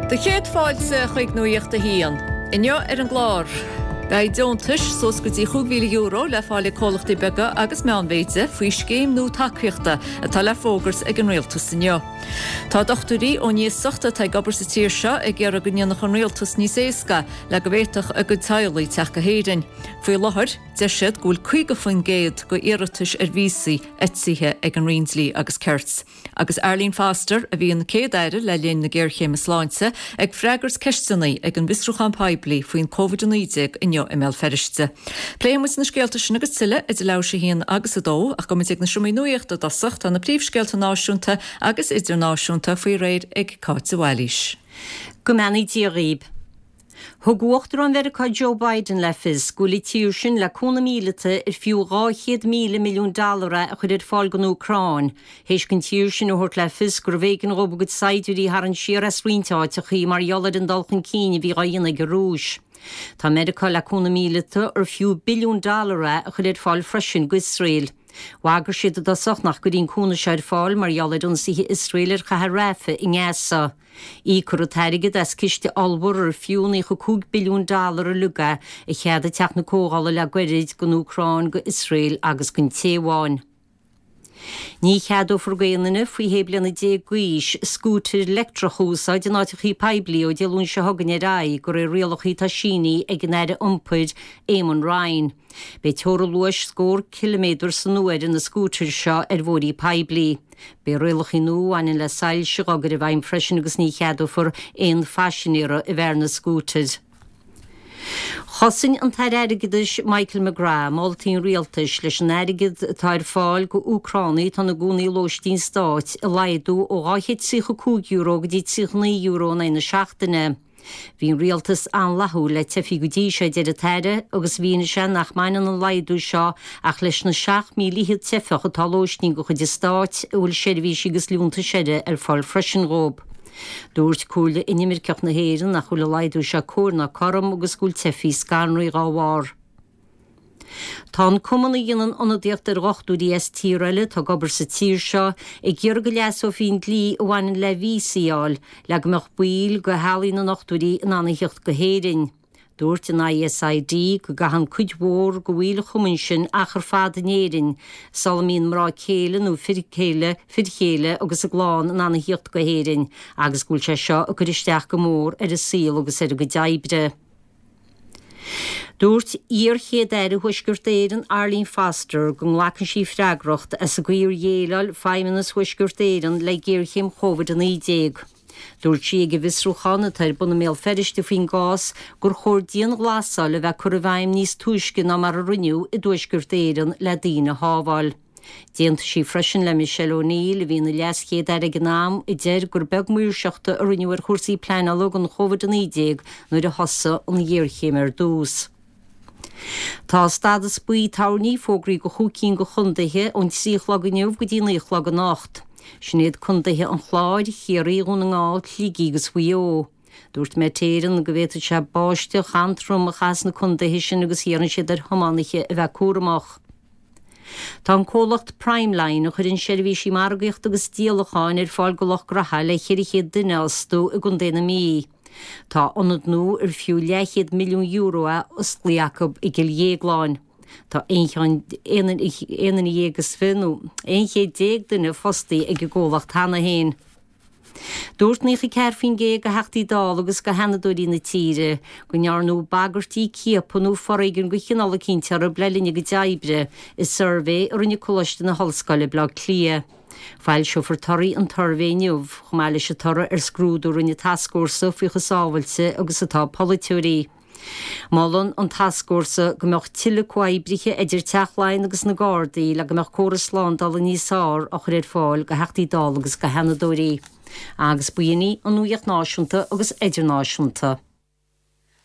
Do chéad fáilte chuig Nuacht a hAon. Inniu ar an gclár, Beidh deontais suas go dtí €5,000 le fáil ag comhlachtaí beaga agus meánmhéide faoi scéim nua tacaíochta atá le fógairt ag an Rialtas inniu. Tá dochtúirí ón iasacht atá ag obair sa tír seo ag iarraidh go ndéanfadh an Rialtas níos éasca le go bhféadfadh a gcuid teaghlaigh teacht go hÉirinn. Faoi láthair, deir siad go bhfuil 50% de iarratais ar víosaí eitithe ag an Roinn Dlí agus Cirt. Agus Arlene Foster, a bhí ina Céad-Aire le linn na géarchéime sláinte, ag freagairt ceisteanna ag an bhfiosrúchán poiblí faoin Covid-19 inniu i mBéal Feirste. Pléifidh muid na scéalta sin agus tuilleadh idir leathuair tar éis a haon agus a dó, ach gabhfaidh muid ag na seomraí nuachta i dtosach, tá na príomhscéalta náisiúnta agus idirnáisiúnta faoi réir ag Cáit de Bhailís. Go mbeannaí Dia dhaoib. Thug Uachtarán Mheiriceá Joe Biden le fios go bhfuil an tír sin le cúnamh míleata ar fiú 200,000 milliún dollar é a chur ar fáil don Úcráin, théis don tír sin a thabhairt le fios gurbh éigean dhóibh a gcuid saighdiúirí a tharraingt siar as roinnt áiteachaí mar gheall ar an dul chun cinn a bhí dhá dhéanamh ag an Rúis. Tá Meiriceá le cúnamh míleata ar fiú billiún dollar é a chur ar fáil freisin d'Iosrael. Bhagair siad i dtosach nach gcuirfí an cúnamh seo ar fáil mar gheall ar ionsaithe Iosrael ar chathair Rafah i nGaza. Íocfar an t-airgead as ciste ollmhór ar fiú 95 billiún dollar uilig é a cheadaigh Teach na Comhdhála le goirid don Úcráin, do Iosrael agus don Téaváin. Ní cheadófar d'aon duine faoi shé bliana d'aois scútair leictreach a úsáid in áiteachaí poiblí ó Dé Luain seo chugainn ar aghaidh, de réir rialachaí atá sínithe ag an Aire Iompair Eamon Ryan. Beidh teora luais scór ciliméadar san uair ar na scútair seo ar bhóithrí poiblí. Beidh rialachaí nua a bhaineann le soilse dhá gcur i bhfeidhm freisin agus ní cheadófar aon phaisinéara a bheith ar na scútair. Chosain an tAire Airgeadais Michael McGrath moltaí an rialtais leis an airgead atá ar fáil go Úcránaigh atá ina gcónaí i lóistín stáit a laghdú ó €235 go dtí €39 in aghaidh na seachtaine. Bhí an rialtas an-fhlaithiúil le teifigh go dtí seo, a deir an tAire, agus mhínigh sé nach mbaineann an laghdú seo ach leis na 7,000 teifeach atá i lóistín de chuid an stáit, a bhfuil seirbhísí agus liúntais eile ar fáil freisin dhóibh. Dúirt Comhairle Inimirceach na hÉireann nach bhfuil an laghdú seo cóir ná cothrom agus go bhfuil teifigh scanraithe dhá bharr. Tá an cumann a dhéanann ionadaíocht ar dhochtúirí as tíortha eile atá ag obair sa tír seo ag iarraidh go leasófaí an dlí a bhaineann le víosaí a fháil le go mbeadh baill de theaghlaigh na ndochtúirí in ann a thíocht go hÉirinn. Dúirt an ISID go gcaitheann cuid mhór de bhaill an chumainn sin achar fada in Éirinn sula mbíonn mná céile nó fir céile, fir chéile agus a gclann in ann a thíocht go hÉirinn agus go bhfuil sé seo ag cur isteach go mór ar a saol agus ar a gcuid oibre. Dúirt iar-Chéad-Aire Thuaisceart Éireann Arlene Foster go nglacann sí freagracht as an gcaoi ar dhéileáil Feidhmeannas Thuaisceart Éireann le géarchéim Covid-19. Dúirt sí ag an bhfiosrúchán atá ar bun i mBéal Feirste faoin gcás gur chóir dianghlasáil a bheith curtha i bhfeidhm níos túisce ná mar a rinneadh i dTuaisceart Éireann le daoine a shábháil. D'aontaigh sí freisin le Michelle O'Neill, a bhí ina LeasChéad-Aire ag an am, a deir gur beag maoirseachta a rinneadh ar chúrsaí pleanála don Covid-19 nuair a thosaigh an ghéarchéim ar dtús. Tá stádas buí toirní fógraithe do chúig cinn de chontaetha ón 3 a chlog inniu go dtí 9 a chlog anocht. Sin iad contaetha an Chláir, Chiarraí, Dhún na nGall, Shligigh agus Mhaigh Eo. Dúirt Met Éireann go bhféadfadh sé báisteach an-trom a chaitheamh sna contaetha sin agus iarrann siad ar thiománaithe a bheith cúramach. Tá an comhlacht Primeline, a chuireann seirbhísí margaíochta agus díolacháin ar fáil do lucht graithe le 400 duine a fhostú i gContae na Mí. Tá ionad nua ar fiú leathchéad milliún euro é osclaithe acu i gCill Dhéagláin. Tá aon duine dhéag is fi nó 11 chéad duine fostaithe ag an gcomhlacht cheana féin. Dúirt 94% de Theachtaí Dála agus de Sheanadóirí na tíre go ndearnadh bagairtí, ciapadh nó foréigean de chineál eicínt orthu le linn a gcuid oibre i suirbhé a rinne Coláiste na hOllscoile, Baile Átha Cliath. Foilseofar torthaí an tsuirbhé inniu, chomh maith leis an toradh ar scrúdú a rinne tascfhórsa faoi chomh sábhailte agus atá polaiteoirí. Molann an tascfhórsa go mbeadh tuilleadh comhoibrithe idir Teach Laighean agus na Gardaí le go mbeadh córas slándála níos fearr á chur ar fáil do Theachtaí Dála agus do Sheanadóirí. Agus b'in í an nuacht náisiúnta agus idirnáisiúnta.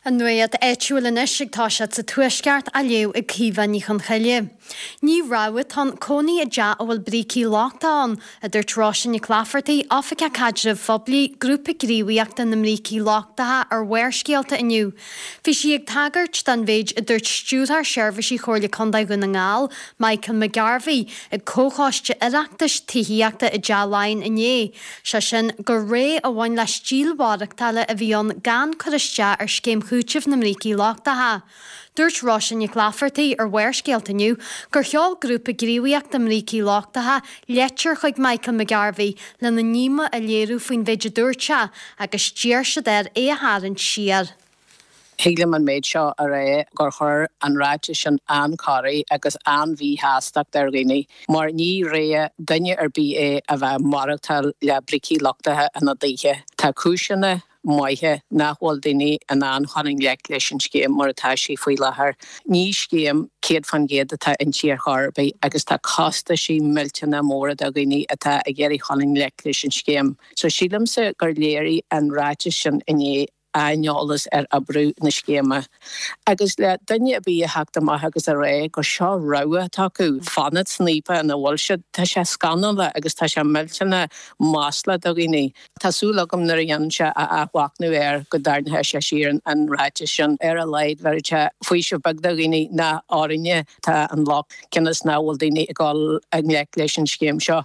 An nuacht áitiúil anois ag toiseacht sa Tuaisceart á léamh ag Caoimhe Ní Chonchoille. Ní rogha atá ann cónaí i dteach a bhfuil brící lochtacha ann, a dúirt Róise Nic Laifeartaigh, Oifigeach Caidrimh Phoiblí, Grúpa Gníomhaíochta na mBrící Lochtacha ar Bharrscéalta inniu. Bhí sí ag tagairt don mhéid a dúirt Stiúrthóir Seirbhísí Chomhairle Contae Dhún na nGall, Michael McGarvey, ag Comhchoiste Oireachtais Tithíochta i dTeach Laighean inné. Sé sin, gur rogha a bhain le stíl mhaireachtála a bhí ann gan cur isteach ar scéim chúitimh na mbrící lochtacha. Dúirt Róise Nic Laifeartaigh ar Bharrscéalta inniu gur sheol Grúpa Gníomhaíochta mBrící Lochtacha leitir chuig Michael McGarvey lena ndíomá a léiriú faoin mhéid a dúirt sé agus d'iarr siad air é a tharraingt siar. Thig liom an méid seo a rá gur chuir an ráiteas sin an-chorraí agus an-mhíshástacht ar dhaoine mar ní rogha duine ar bith é a bheith ag maireachtáil le brící lochtacha ina dtithe. Tá cúiseanna maithe nach bhfuil daoine in ann chun i ngleic leis an scéim mar atá sí faoi láthair. Ní scéim 100% atá inti ar chor ar bith agus tá costaisí millteanna móra do dhaoine atá ag iarraidh chun i ngleic leis an scéim. So sílimse gur léirigh an ráiteas sin inné aineolas ar oibriú na scéime. Agus le duine ar bith a theacht amach agus a rá gur seo rogha atá acu, fanacht san fhaopach ina bhfuil siad, tá sé scannalach agus tá sé millteanach maslach do dhaoine. Tá súil agam nuair a dhéanann sé a athmhachnamh air go dtarraingeoidh sé siar an ráiteas sin. Ar a laghad bheadh sé faoiseamh beag do dhaoine nach orainne atá an locht, cionn is nach bhfuil daoine ag dul i ngleic leis an scéim seo.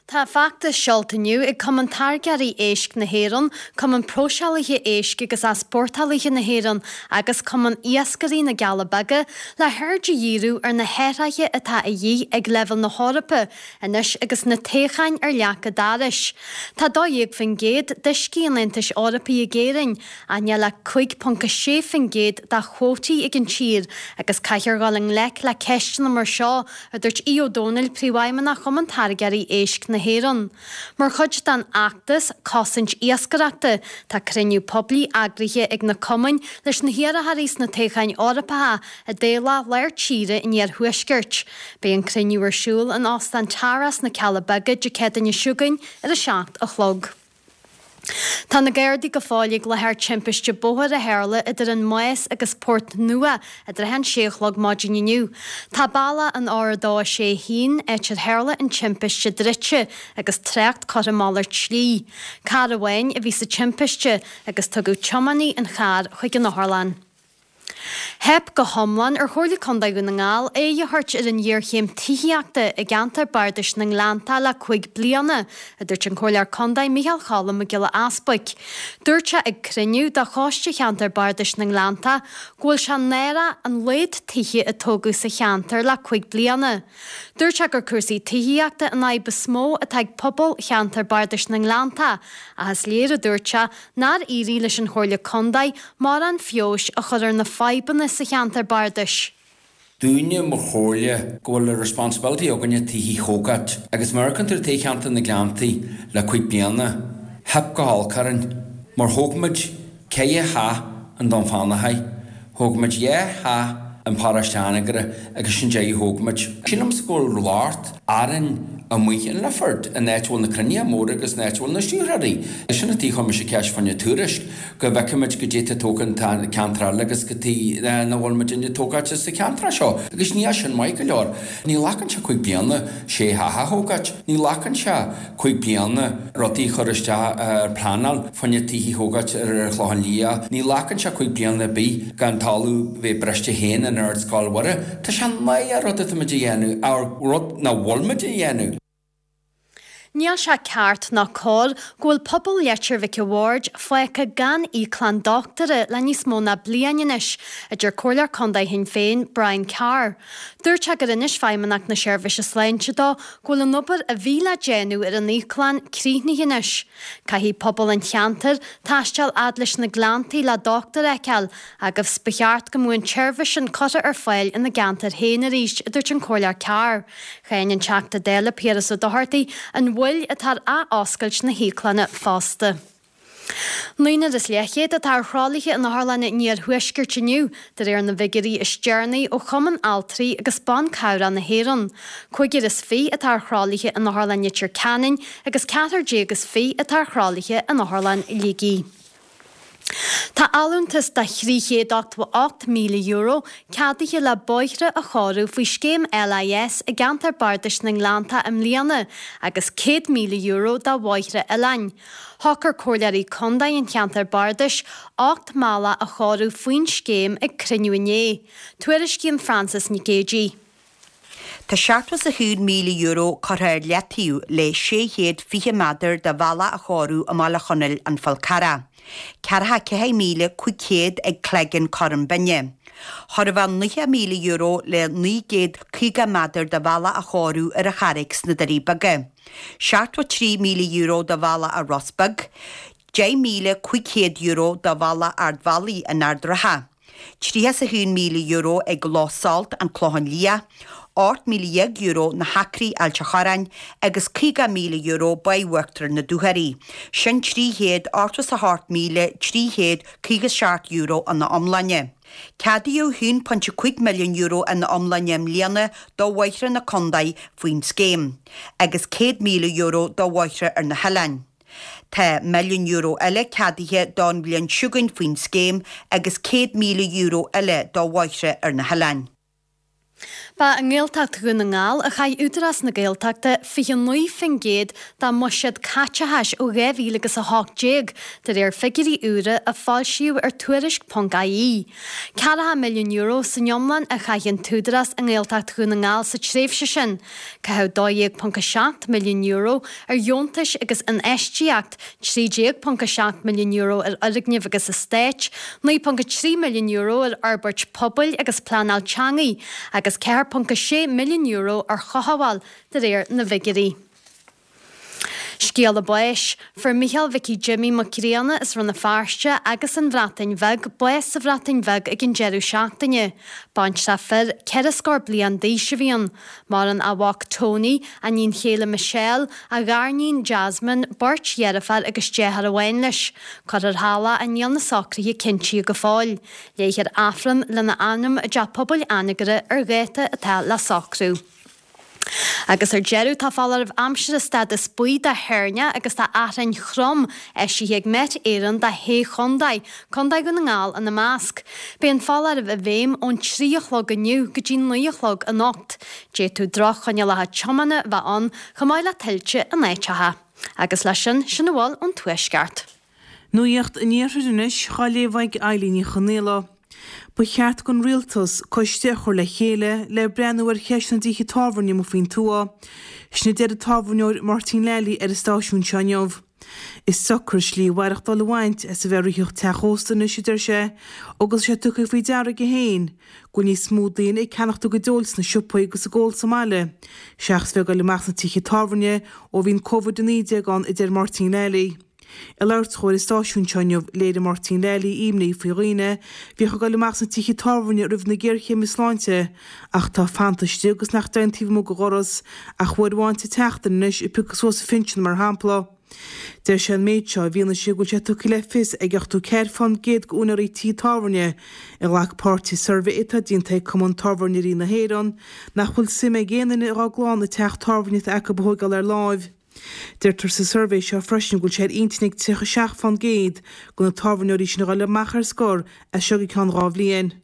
Tá feachtas seolta inniu ag Cumann Táirgeoirí Éisc na hÉireann, Cumann Próiseálaithe Éisc agus Easpórtálaithe na hÉireann agus Cumann Iascairí na gCealla Beaga le haird a dhíriú ar na hathruithe atá a dhíth ag leibhéal na hEorpa anois agus na toghcháin ar leac an dorais. Tá 12% d'uiscí an Aontais Eorpaigh ag Éirinn, ach níl ach 5.6% dá chuótaí ag an tír agus caithfear dhul i ngleic le ceisteanna mar seo a dúirt Aodh Ó Domhnaill, Príomhfheidhmeannach Chumann Táirgeoirí Éisc na hÉireann. Mar chuid den fheachtas Cosaint Iascaireachta, tá cruinniú poiblí eagraithe ag na cumainn leis na hiarrthóirí sna toghcháin Eorpacha i dtoghlach lár tíre an iarthuaiscirt. Beidh an cruinniú ar siúl in Óstán Tara sna Cealla Beaga Dé Céadaoine seo chugainn ar a 7 a chlog. Tá na Gardaí go fóill ag láthair timpiste bóthair a tharla idir an Más agus Port Nua i dtrátha an sé a chlog maidin inniu. Tá bealach an R261, áit ar tharla an timpiste druidte agus trácht curtha malairt slí. Carr amháin a bhí sa timpiste agus tugadh tiománaí an chairr chuig an otharlann. Theip go hiomlán ar Chomhairle Contae Dhún na nGall aghaidh a thabhairt ar an ghéarchéim tithíochta i gceantar bardais na nGleanntach le 5 bliana, a dúirt an Comhairleoir Contae Micheál Cholm Mac Giolla Easbuic. Dúirt sé ag cruinniú de Choiste Cheantar Bardais na nGleanntach go bhfuil sé náireach an laghad tithe a tógadh sa cheantar le 5 bliana. Dúirt sé gur cúrsaí tithíochta an fhadhb is mó atá ag pobal cheantar bardais na nGleanntach ach is léir, a dúirt sé, nár éirigh leis an Chomhairle Contae mórán feabhais a chur ar na fadhbanna sa cheantar bardais. Dúinne mar chomhairle go bhfuil a responsibility againne tithe a thógáilt agus má amharcann tú ar toghcheantar na Gleanntaí le cuig bliana, theip go holc orainn mar thóg muid ceithre theach in Dún Fionnachaidh, thóg muid dhá theach in Paróiste Anagaire agus sin deireadh a thóg muid. Sílimse go bhfuil locht orainn amuigh in Lifford, an áit a bhfuil na cruinnithe móra agus an áit a bhfuil na stiúrthóirí. Sin an tuige a chuir mise ceist fá choinne tuairisc, go bhfeicfimid goidé atá tógtha in ceantar eile agus cad chuige nach bhfuil muidinne ag tógáilt sa cheantar seo. Agus níl sin maith go leor. Ní ghlacann sé cuig bliana sé theach a thógáilt. Ní ghlacann sé cuig bliana rudaí a chur isteach ar pleanáil fá choinne tithe a thógáilt ar an Chlochán Liath. Ní ghlacann sé cuig bliana ar bith gan talamh bheith briste féin in Ardscoil Mhuire. Tá sé náireach rud atá muid a dhéanamh, or rud nach bhfuil muid a dhéanamh. Níl sé ceart ná cóir go bhfuil pobal Leitir Mhic a' Bhaird fágtha gan íoclann dochtúra le níos mó ná bliain anois, a deir Comhairleoir Contae Shinn Féin, Brian Carr. Dúirt sé gur inis Feidhmeannacht na Seirbhíse Sláinte dó go bhfuil an obair a bhí le déanamh ar an íoclann críochnaithe anois. Caithfidh pobal an cheantair taisteal fhad leis na Gleanntaí le dochtúir a fheiceáil agus ba cheart go mbeadh an tseirbhís sin curtha ar fáil ina gceantar féin arís, a dúirt an Comhairleoir Carr. Cháin an Teachta Dála Piaras Ó Dochartaigh an mhoill atá ar ath-oscailt na híoclainne fosta. Naonúr is leathchéad atá ar thralaithe in otharlanna an iarthuaiscirt inniu, de réir na bhfigiúirí is deireanaí ó Chumann Altraí agus Ban Cabhrach na hÉireann. Cúigear is fiche atá ar thralaithe in Otharlann Leitir Ceanainn agus ceathrar déag is fiche atá ar thralaithe in Otharlann Shligigh. Tá allúntas de €388,000 ceadaithe le bóithre a chóiriú faoi scéim LIS i gceantar bardais na nGleanntach i mbliana agus €100,000 do bhóithre oileáin. Shocair Comhairleoirí Contae an cheantair bardais 8 mbealach a chóiriú faoin scéim ag cruinniú inné. Tuairiscíonn Frances Nic Géadaigh. Tá €71,000 curtha ar leataobh le 620 méadar de bhealach a chóiriú i mBaile Chonaill, An Fál Carrach. 44,500 ag Cleggan, Corran Binne. Chóir a bheith €90,000 le 950 méadar de bhealach a chóiriú ar an Charraig sna Doirí Beaga. €73,000 do bhealach i Ros Beag. €10,500 do bhealach Ard Mhacha in Ard Ratha. €31,000 ag Loch Salt, An Clochán Liath, €18,000 Na hAcraí, Ailt a' Chorráin, agus €50,000 Baile Uachtair na Dúchoraidhe. Sin €388,357 ina iomláine. Ceadaíodh €1.5 milliún ina iomláine i mbliana do bhóithre na contae faoin scéim, agus €100,000 do bhóithre ar na hoileáin. Tá €1 milliún eile ceadaithe don bhliain seo chugainn faoin scéim agus €100,000 eile do bhóithre ar na hoileáin. Ba i nGaeltacht Dhún na nGall a chaith Údarás na Gaeltachta 29% dá mbuiséad caiteachais ó 2018, de réir figiúirí úra a foilsíodh ar Tuairisc.ie. €40 milliún san iomlán a chaith an tÚdarás i nGaeltacht Dhún na nGall sa tréimhse sin. Caitheadh €12.7 milliún ar dheontais agus infheistíocht, €13.7 milliún ar fhoirgnimh agus eastáit, €9.3 milliún ar fhorbairt pobail agus pleanáil teanga agus €4.6 milliún ar chothabháil, de réir na bhfigiúirí. Scéala báis. Fuair Micheál Mhicí Jimí Mac Grianna as Rann na Feirste agus an Bhreatain Bheag bás sa Bhreatain Bheag ag an deireadh seachtaine. Baintreach fir, 4 scór bliain d'aois a bhí ann. Maireann a mhac Tony, a níon chéile Michelle, a ghariníon Jasmine, beirt dheirféar agus deartháir amháin leis. Cuirfear thall é, níl na socruithe cinntithe go fóill. Léifear Aifreann lena anam i dTeach Pobail Anagaire ar dháta atá le socrú. Agus ar deireadh, tá foláireamh aimsire stádas buí do thoirneach agus do fhearthainn throm eisithe ag Met Éireann do shé chontae, Contae Dhún na nGall ina measc. Beidh an foláireamh i bhfeidhm ón 3 a chlog inniu go dtí 9 a chlog anocht. D'fhéadfadh droch-choinníollacha tiomána bheith ann, chomh maith le tuilte in áiteacha. Agus leis sin, sin a bhfuil ón Tuaisceart. Nuacht an Iarthair anois dhá léamh ag Eilín Ní Chonaola. Ba cheart don Rialtas coiste a chur le chéile le breathnú ar cheist na dtithe tábhairne amuigh faoin tuath. Sin a deir an tábhairneoir Máirtín Lally ar an stáisiún seo inniu. Is deacair slí mhaireachtáil a bhaint as a bheith ag ritheacht teach ósta anois, a deir sé, agus tá sé tugtha faoi deara aige féin go bhfuil níos mó daoine ag ceannacht a gcuid óil sna siopaí agus ag ól sa mbaile seachas bheith ag dul amach sna tithe tábhairne ó bhí an Covid-19 ann, a deir Máirtín Lally. Ag labhairt dhó ar an stáisiún seo inniu, léirigh Máirtín Lally imní faoi dhaoine a bhíodh ag dul amach sna tithe tábhairne roimh na géarchéime sláinte ach atá fanta istigh agus nach dtéann taobh amuigh de dhoras ach uair amháin sa tseachtain anois ag piocadh suas a phinsean mar shampla. Deir sé an méid seo i bhfianaise go bhfuil sé tugtha le fios ag 84 fán gcéad d'úinéirí tithe tábhairne a ghlac páirt i suirbhé atá déanta ag Cumann Tábhairneoirí na hÉireann nach bhfuil suim ag aon duine dhá gclann an teach tábhairne atá acu a thóigeáil ar láimh. Deirtear sa suirbhé seo freisin go bhfuil sé ar intinn ag 37 fán gcéad de na tábhairneoirí sin a dhul amach ar scor as seo go ceann 2 bhliain.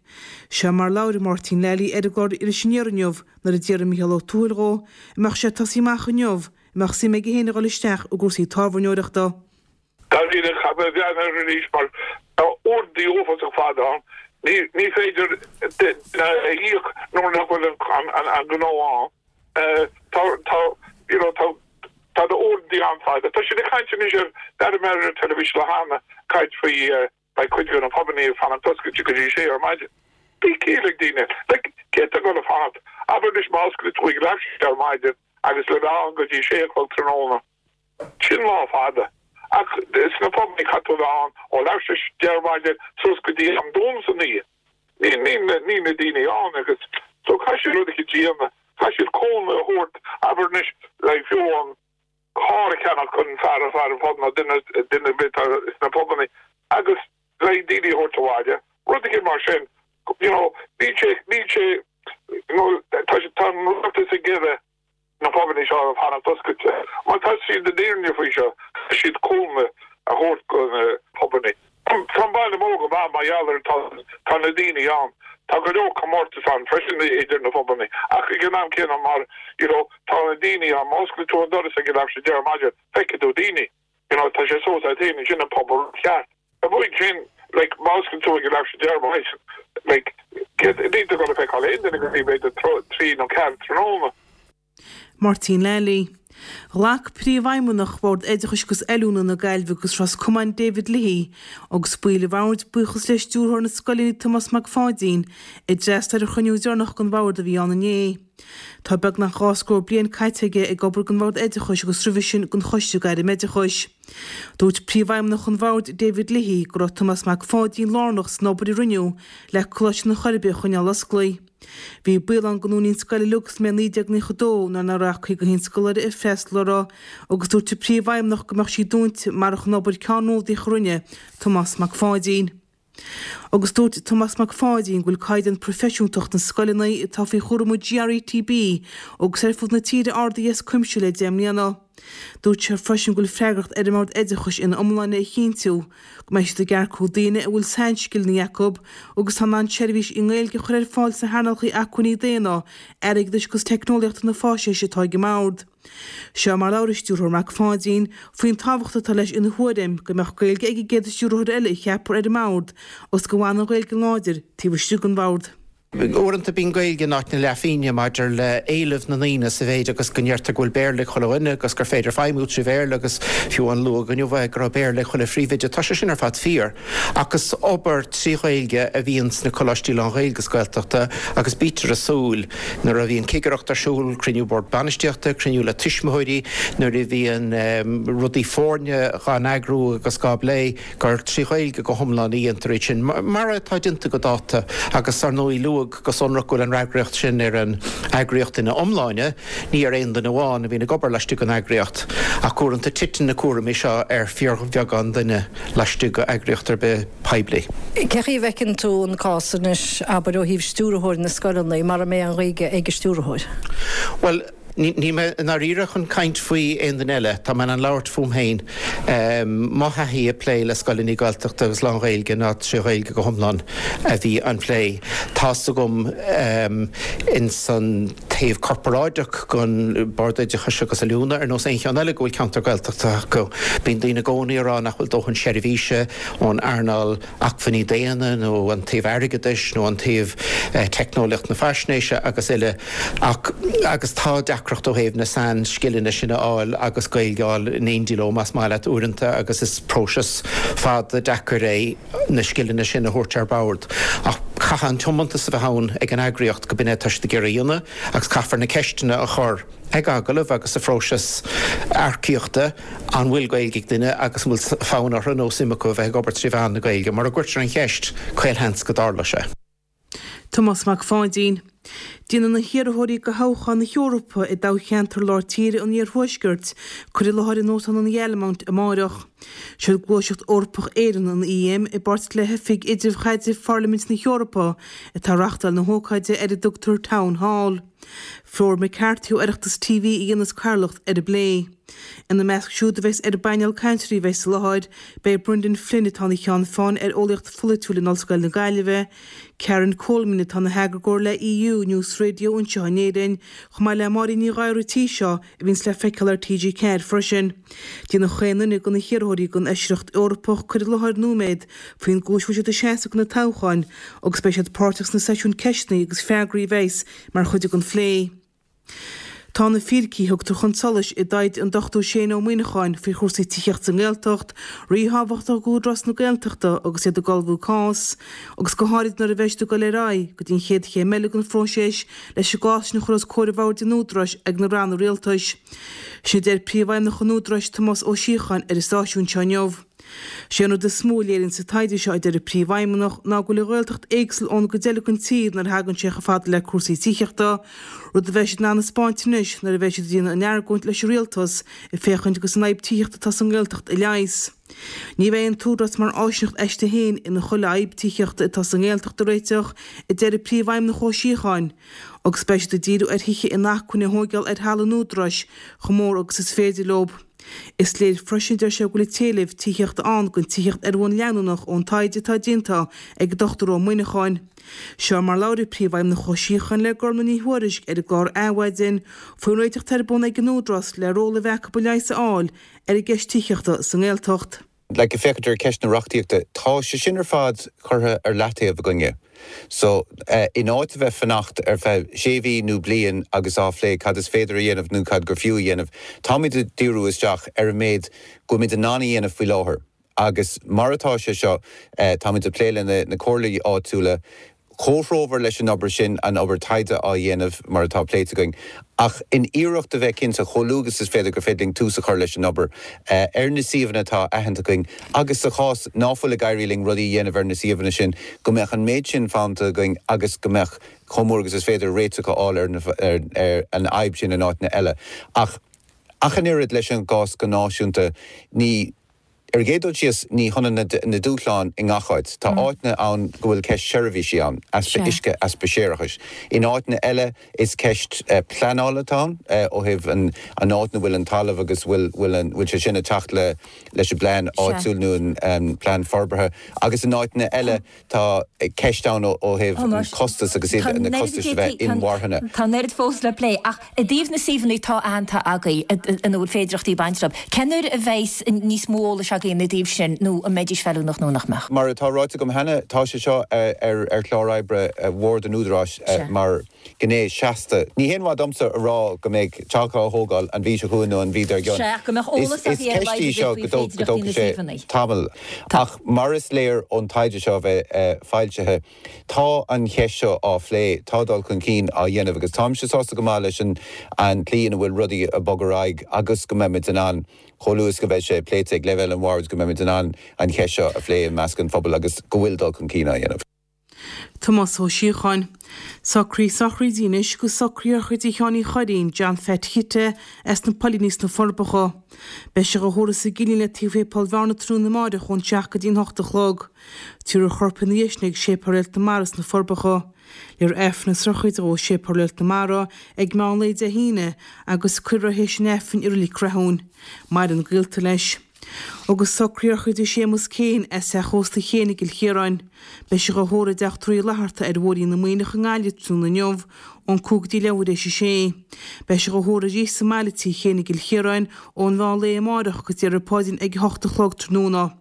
Seo mar labhair Máirtín Lally ar an gclár Iris Aniar inniu nuair a d'fhiafraigh Mícheál Ó Tuathail dhó an mbeadh sé ag tosaí amach inniu, an mbeadh suim aige féin a dhul isteach i gcúrsaí tábhairneoireachta. Dáiríre, caithfidh mé a bhreathnú air arís mar tá uaireanta uafásach fada ann. Ní féidir duine a íoc nuair nach bhfuil an gnó ann. Tá, tá, you know, tá, tá na uaireanta an-fhada. Tá siad ag caint anois ar, d'airigh mé ar an teilifís lá cheana, caint faoi beidh cuid de na pubannaí ag fanacht oscailte go dtí sé ar maidin. Bíonn ciall ag daoine. Like, cé atá ag dul a fanacht? Abair anois má osclaíonn tú ag leath sé ar maidin agus le bheith ann go dtí sé a chlog tráthnóna. Sin lá fada. Ach sna pubannaí caithfidh tú a bheith ann ó leath tar éis deich ar maidin suas go dtí am dún san oíche. Níl níl na daoine ann agus so caithfidh siad rud eicínt a dhéanamh. Caithfidh siad cúnamh a thabhairt, abair anois, like fiú an carr a cheannach chun fear a fear an phub nó duine duine ar bith atá sna pubannaí agus like daoine a thabhairt abhaile. Rud eicínt mar sin. You know, níl sé níl sé you know tá tá an rialtas ag iarraidh na pubannaí seo a fanacht oscailte. Má tá siad i ndáiríre faoi seo, caithfidh siad cúnamh a thabhairt do na pubannaí. Tá an baile. gheall ar tá tá na daoine ann. Tá go leor comórtas ann freisin idir na phubanna ach ag an am céanna mar you know tá na daoine ann, má osclaíonn tú an doras ag a leathuair tar éis a deich ar maidin feicfidh tú daoine. You know tá sé suas agat féin, sin an pub ceart. Amuigh ansin like má osclaíonn tú ag a leathuair tar éis a deich ar maidin like níl tú ag dul a feiceáil aon duine go dtí b'fhéidir 3 nó 4 tráthnóna. Máirtín Lally. Ghlac Príomhfheidhmeannach Bhord Oideachais agus Oiliúna na Gaillimhe agus Ros Comáin David Leahy agus baill an bhoird buíochas le Stiúrthóir na Scoileanna Tomás Mac Pháidín a d'fhreastail ar an chruinniú deireanach den bhord a bhí ann inné. Tá beagnach dhá scór bliain caite aige ag obair don Bhord Oideachais agus roimhe sin don Choiste Gairmoideachais. Dúirt Príomhfheidhmeannach an Bhoird David Leahy go raibh Tomás Mac Pháidín lárnach san obair a rinneadh le Coláiste na Coiribe a choinneáil osclaí. Bhí baol ann go ndúnfaí an scoil uilig sa mbliain 1992 nuair nach raibh ach 51 scoláire ag freastal uirthi agus dúirt an Príomhfheidhmeannach go mbeadh sí dúnta marach an obair ceannródaíoch a rinne Tomás Mac Pháidín. Agus dúirt Tomás Mac Pháidín go bhfuil caighdeán proifisiúntacht na scoileanna atá faoi chúram an GRETB agus ar fud na tíre ardaithe as cuimse le 10 mbliana. Dúirt sé freisin go bhfuil freagracht ar an mBord Oideachais ina iomláine a chinntiú go mbeidh siad ag earcú daoine a bhfuil sainscileanna acu agus atá in ann seirbhís i nGaeilge a chur ar fáil sna hearnálacha acmhainní daonna, airgeadais agus teicneolaíochta na faisnéise atá ag an mBord. Seo mar a labhair an Stiúrthóir Mac Pháidín faoin tábhacht atá leis ina thuairim go mbeadh Gaeilge ag an gcéad stiúrthóir eile a cheapfar ar an mBord agus go bhfanfaidh an Ghaeilge láidir taobh istigh den Bhord. Uaireanta bíonn Gaeilge in áit na leathphingne maidir le éileamh na ndaoine sa mhéid agus go ndeirtear go bhfuil Béarla ag chuile dhuine agus gur féidir feidhmiú trí Bhéarla agus fiú amháin luadh inniu é go raibh Béarla ag chuile phríomhoide. Tá sé sin ar fad fíor ach is obair trí Ghaeilge a bhíonn sna coláistí lán-Ghaeilge agus Gaeltachta agus bítear ag súil nuair a bhíonn cigireacht ar siúl, cruinniú bord bainistíochta, cruinniú le tuismitheoirí, nuair a bhíonn rudaí foirne dhá n-eagrú agus dhá bplé, gur trí Ghaeilge go hiomlán a dhéantar iad sin, mar atá déanta go dáta, agus ar ndóigh luadh go sonrach go bhfuil an fhreagraíocht sin ar an eagraíocht ina iomláine, ní ar aon duine amháin a bhíonn ag obair laistigh den eagraíocht. Ach uaireanta titeann na cúraimí seo ar fíorbheagán duine laistigh d'eagraíocht ar bith poiblí. Cé chaoi a bhfeiceann tú an cás anois, abair, ó thaobh stiúrthóir na scoileanna, mara mbeidh an Ghaeilge ag an stiúrthóir? Bhuel, Níl mé i ndáiríre chun caint faoi aon duine eile. Tá mé in ann labhairt fúm féin. Mo thaithí ag plé le scoileanna Gaeltachta agus lán-Ghaeilge ná trí Ghaeilge go hiomlán a bhí an plé. Tá's agam ins an taobh corparáideach den Bord Oideachais agus Oiliúna, ar nós aon cheann eile go bhfuil ceantar Gaeltachta acu, bíonn daoine i gcónaí ag rá nach bhfuil dóthain seirbhíse ón earnáil acmhainní daonna nó an taobh airgeadais nó an taobh teicneolaíocht na faisnéise agus uile ach agus tá deacracht ó thaobh na sainscileanna sin a fháil agus Gaeilge a fháil in éindí leo más maith leat uaireanta agus is próiseas fada deacair é na scileanna sin a thabhairt ar bord ach caithfidh an tiomantas a bheith ann ag an eagraíocht go b'in é atá siad ag iarraidh a dhéanamh agus caithfear na ceisteanna a chur ag agallamh agus sa phróiseas earcaíochta an bhfuil Gaeilge ag duine agus an bhfuil fonn orthu nó suim acu a bheith ag obair trí mheán na Gaeilge. Mura gcuirtear an cheist, caolsheans go dtarlóidh sé. Tomás Mac Pháidín. Déanfaidh na hiarrthóirí do thoghchán na hEorpa i dtoghcheantar Lár Tíre an Iarthuaiscirt cur i láthair in Óstán an Ghalemount amáireach. Siod Gluaiseacht Eorpach Éireann, an EM, i bpáirt le hOifig Idirchaidrimh Pharlaimint na hEorpa atá ag reachtáil na hócáide ar a dtugtar Town Hall. Flor McCarthy ó Oireachtas TV a dhéanas cathaoirleacht ar an bplé. Ina measc siúd a bheas ar an bpainéal cainteoirí a bheas i láthair, beidh Brendan Flynn atá ina cheann feadhain ar eolaíocht pholaitiúil in Ollscoil na Gaillimhe, Karen Coleman atá ina heagarthóir le EU News Radio anseo in Éirinn, chomh maith le Máirín Ní Ghadhra tí seo a bhíonns le feiceáil ar TG4 freisin. Déanfaidh chaon duine de na hiarrthóirí don Fheisireacht Eorpach cur i láthair nóiméad faoin gcúis a bhfuil siad ag seasamh do na toghcháin agus beidh siad páirteach sna seisiúin ceisteanna agus freagraí a bheas mar chuid den phlé. Tá na fíricí a thugtar chun solais i dtaighde an Dr Shane Ó Muíneacháin faoi chúrsaí tithíochta sa nGaeltacht ríthábhachtach d'Údarás na Gaeltachta agus iad ag ullmhú cás, agus go háirid nuair a bheidh siad ag dul ar aghaidh go dtí an chéad chéim eile den phróiseas leis an gcás sin a chur os comhair bhoird an Údaráis ag na ranna rialtais. Sin a deir Príomhfheidhmeannach an Údaráis, Tomás Ó Síocháin ar an stáisiún seo inniu. Sé an rud is mó a léiríonn sa taighde seo, a deir an Príomhfheidhmeannach, ná go bhfuil an Ghaeltacht éagsúil ón gcuid eile den tír nuair a thagann sé chomh fada le cúrsaí tithíochta, rud a bheidh siad in ann a 'spáint anois nuair a bheidh siad ag déanamh a n-argóint leis an Rialtas ag féachaint agus an fhadhb tithíochta atá sa nGaeltacht a leigheas. Ní bheidh an tÚdarás mar áisíneacht aisti féin ina chuile fhadhb tithíochta atá sa nGaeltacht a réiteach, a deir an Príomhfheidhmeannach Ó Síocháin, agus beidh siad ag díriú ar thithe inacmhainne a thóigeáil ar thalamh an Údaráis chomh mór agus is féidir leo. Is léir freisin, deir sé, go bhfuil an t-éileamh tithíochta ann don tithíocht ar bhonn leanúnach ón taighde atá déanta ag an Dr Ó Muineacháin. Seo mar labhair an Príomhfheidhmeannach Ó Síocháin le Gormlaith Ní Thuairisg ar an gclár Adhmhaidin faoin réiteach atá ar bun ag an Údarás le ról a bheith acu leigheas a fháil ar an gceist tithíochta sa nGaeltacht. Like, ag féachaint ar cheist na reachtaíochta, tá sé sin ar fad curtha ar leataobh againne. So, in áit a bheith fanacht ar feadh sé mhí nó bliain agus á phlé cad is féidir a dhéanamh nó cad gur fiú a dhéanamh, táimid ag díriú isteach ar an méid go bhfuilimid in ann a dhéanamh faoi láthair. Agus mar atá sé seo, táimid ag plé le na comhairlí áitiúla, comhthreomhar leis an obair sin, an obair taighde á dhéanamh mar atá pléite againn, ach in iarracht a bheith cinnte chomh luath agus is féidir gur féidir linn tús a chur leis an obair ar na suíomhanna atá aitheanta againn agus sa chás ná fuil ag éirí linn rudaí a dhéanamh ar na suíomhanna sin, go mbeadh an méid sin fanta againn agus go mbeadh chomh mór agus is féidir réiteach a fháil ar an fhadhb sin in áiteanna eile. Ach ach an oiread leis an gcás go náisiúnta, ní. Ar an gcéad dul síos, ní hionann na dúshláin i ngach áit. Tá áiteanna ann go bhfuil ceist seirbhísí ann, easpa uisce, easpa séarachais. In áiteanna eile, is ceist pleanála atá ann, ó thaobh an áit ina bhfuil an talamh agus bhfuil bhfuil sé sin ag teacht leis an bplean áitiúil nó an plean forbartha. Agus in áiteanna eile, Tá ceist ann ó thaobh an costas agus iad na costais a bheith inmharthana. Tá an oiread fós le plé ach i dtaobh na suíomhanna atá aitheanta agaibh ina bhfuil féidearthachtaí ag baint leo, cén uair a bheidh níos mó eolais agaibh ina dtaobh sin nó an mbeidís feiliúnach nó nach mbeadh? Mar atá ráite agam cheana, tá sé seo ar chlár oibre Bhord an Údaráis mar. gné seasta. Ní haon mhaith domsa a rá go mbeidh teach á thógáil an mhí seo chugainn nó an mhí dár gcionn. Sea, ach go mbeadh eolas Is agaibh ar a ceist laghad í a seo bheith go faoi dtóg go féidearthachtaí dtógfaidh na sé suíomhanna. tamall. Ach mar is léir ón taighde seo a bheith foilsithe, tá an cheist seo á phlé, tá dul chun cinn á dhéanamh agus táimse sásta go maith leis an an tslí ina bhfuil rudaí ag bogadh ar aghaidh agus go mbeimid in ann, chomh luath is go bheidh sé pléite ag leibhéal an bhoird, go mbeimid in ann an cheist seo a phlé i measc an phobail agus go bhfuil dul chun cinn á dhéanamh. Tomás Ó Síocháin. Socruithe sochraide anois agus socruithe sochraide Sheáin Uí Churraoin, John Pheait Chite, as na Poilíní sna Forbacha. Beidh sé dhá thórramh sa gCillín le taobh Shéipéal Bhearna tráthnóna amáireach ón 7 go dtí an 8 a chlog. Tabharfar a chorp ina dhiaidh sin ag Séipéal Réalt na Mara sna Forbacha. Léifear Aifreann na sochraide dhó i Séipéal Réalt na Mara ag meán lae Dé hAoine agus cuirfear é théis an Aifrinn i Reilig Rathúin. Maireann gaolta leis. Agus socruithe sochraide Séamus Keane as Teach Ósta Chéin i gCill Chiaráin. Beidh sé dhá thórramh i dTeach Tórraimh Uí Fhlatharta ar Bhóithrín na Muimhneach i nGaillimh tráthnóna inniu ón 5 go dtí leathuair théis a sé. Beidh sé dhá thórramh arís sa mbaile Tigh Chéin i gCill Chiaráin ón mheán lae amáireach agus déarfar paidrín ag 8 a chlog tráthnóna.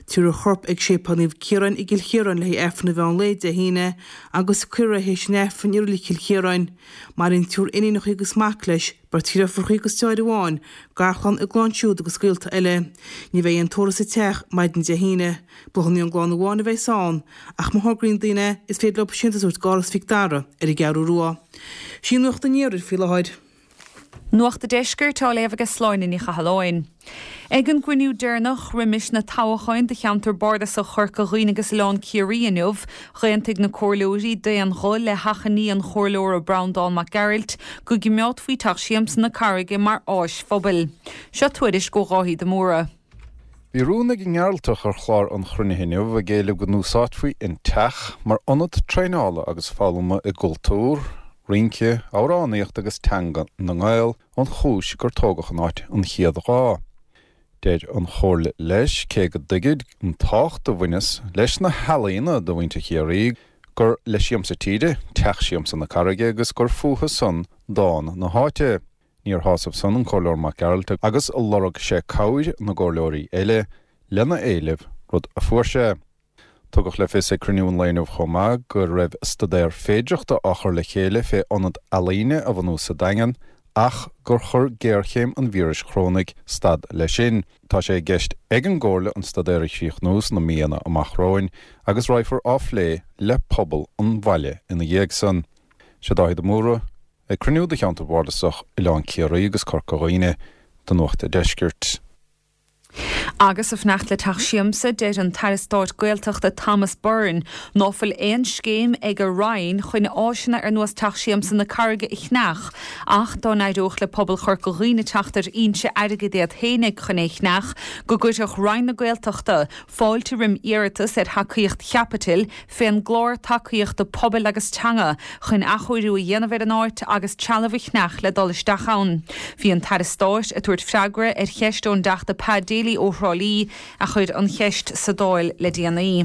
Tabharfar a chorp ag Séipéal Naomh Ciarán i gCill Chiaráin le haghaidh Aifreann an mheán lae Dé hAoine agus cuirfear é théis an Aifrinn i Reilig Chill Chiaráin. Maireann triúr iníonacha agus mac leis. Beirt dheirfiúracha agus deartháir amháin, garchlann, a gclann siúd agus gaolta eile. Ní bheidh aon tórramh sa teach maidin Dé hAoine. Bláthanna ón gclann amháin a bheas ann, ach má thograíonn daoine, is féidir leo síntiús a thabhairt d'Áras Mhic Dara ar an gCeathrú Rua. Sin Nuacht an Iarthair faoi láthair. Nuacht a' Deiscirt á léamh aige Sláine Ní Chathalláin. Ag an gcruinniú deireanach roimis na toghcháin do cheantar bardasach Chorca Dhuibhne agus Oileán Ciarraí inniu, dh'aontaigh na comhairleoirí d'aon ghuth le hachainí an chomhairleora Breandán Mac Gearailt go gcimeádfaí Teach Siamsa na Carraige mar áis phobail. Seo tuairisc ó Dháithí de Mórdha. Bhí rún ag an nGearaltach ar chlár an chruinnithe inniu ag éileamh go n-úsáidfí an teach mar ionad traenála agus foghlama i gcultúr, rince, amhránaíocht agus teanga na nGael. ón chúis gur tógadh an áit an chéad lá. Deir an Chomhairle leis, cé go dtuigid an tábhacht a bhaineas leis na healaíona do mhuintir Chiarraí, gur le siamsa tíre Teach Siamsa na Carraige agus gur fúthu san dán na háite. Níor shásaimh san an Comhairleoir Mac Gearailt agus lorg sé cabhair na gcomhairleoirí eile lena éileamh, rud a fuair sé. Tugadh le fios ag cruinniú an lae inniu chomh maith go raibh staidéar féidireachta á chur le chéile fé ionad ealaíne a bhunú sa Daingean ach gur chuir géarchéim an víris chorónaigh stad leis sin. Tá sé i gceist ag an gComhairle an staidéar a chríochnú sna míonna amach romhainn agus raghfar á phlé le pobal an bhaile ina dhiaidh san. Sé Dáithí de Mórdha ag cruinniú de Cheantar Bardasach Oileán Ciarraí agus Corca Dhuibhne do Nuacht a' Deiscirt. Agus ag fanacht le Teach Siamsa, deir an tAire Stáit Gaeltachta Thomas Byrne ná fuil aon scéim ag a Roinn chun áiseanna ar nós Teach Siamsa na Carraige a cheannach ach dá n-éireodh le pobal Chorca Dhuibhne teacht ar fhoinse airgid iad fhéinig chun é cheannach go gcuirfeadh Roinn na Gaeltachta fáilte roim iarratas ar thacaíocht chaipitil fén gClár Tacaíochta Pobail agus Teanga chun athchóiriú a dhéanamh ar an áit agus trealamh a cheannach le dul isteach ann. Bhí an tAire Stáit ag tabhairt freagra ar cheist ón dTeachta Pa Daly ó Thrá Lí a chuir an cheist sa Dáil le déanaí.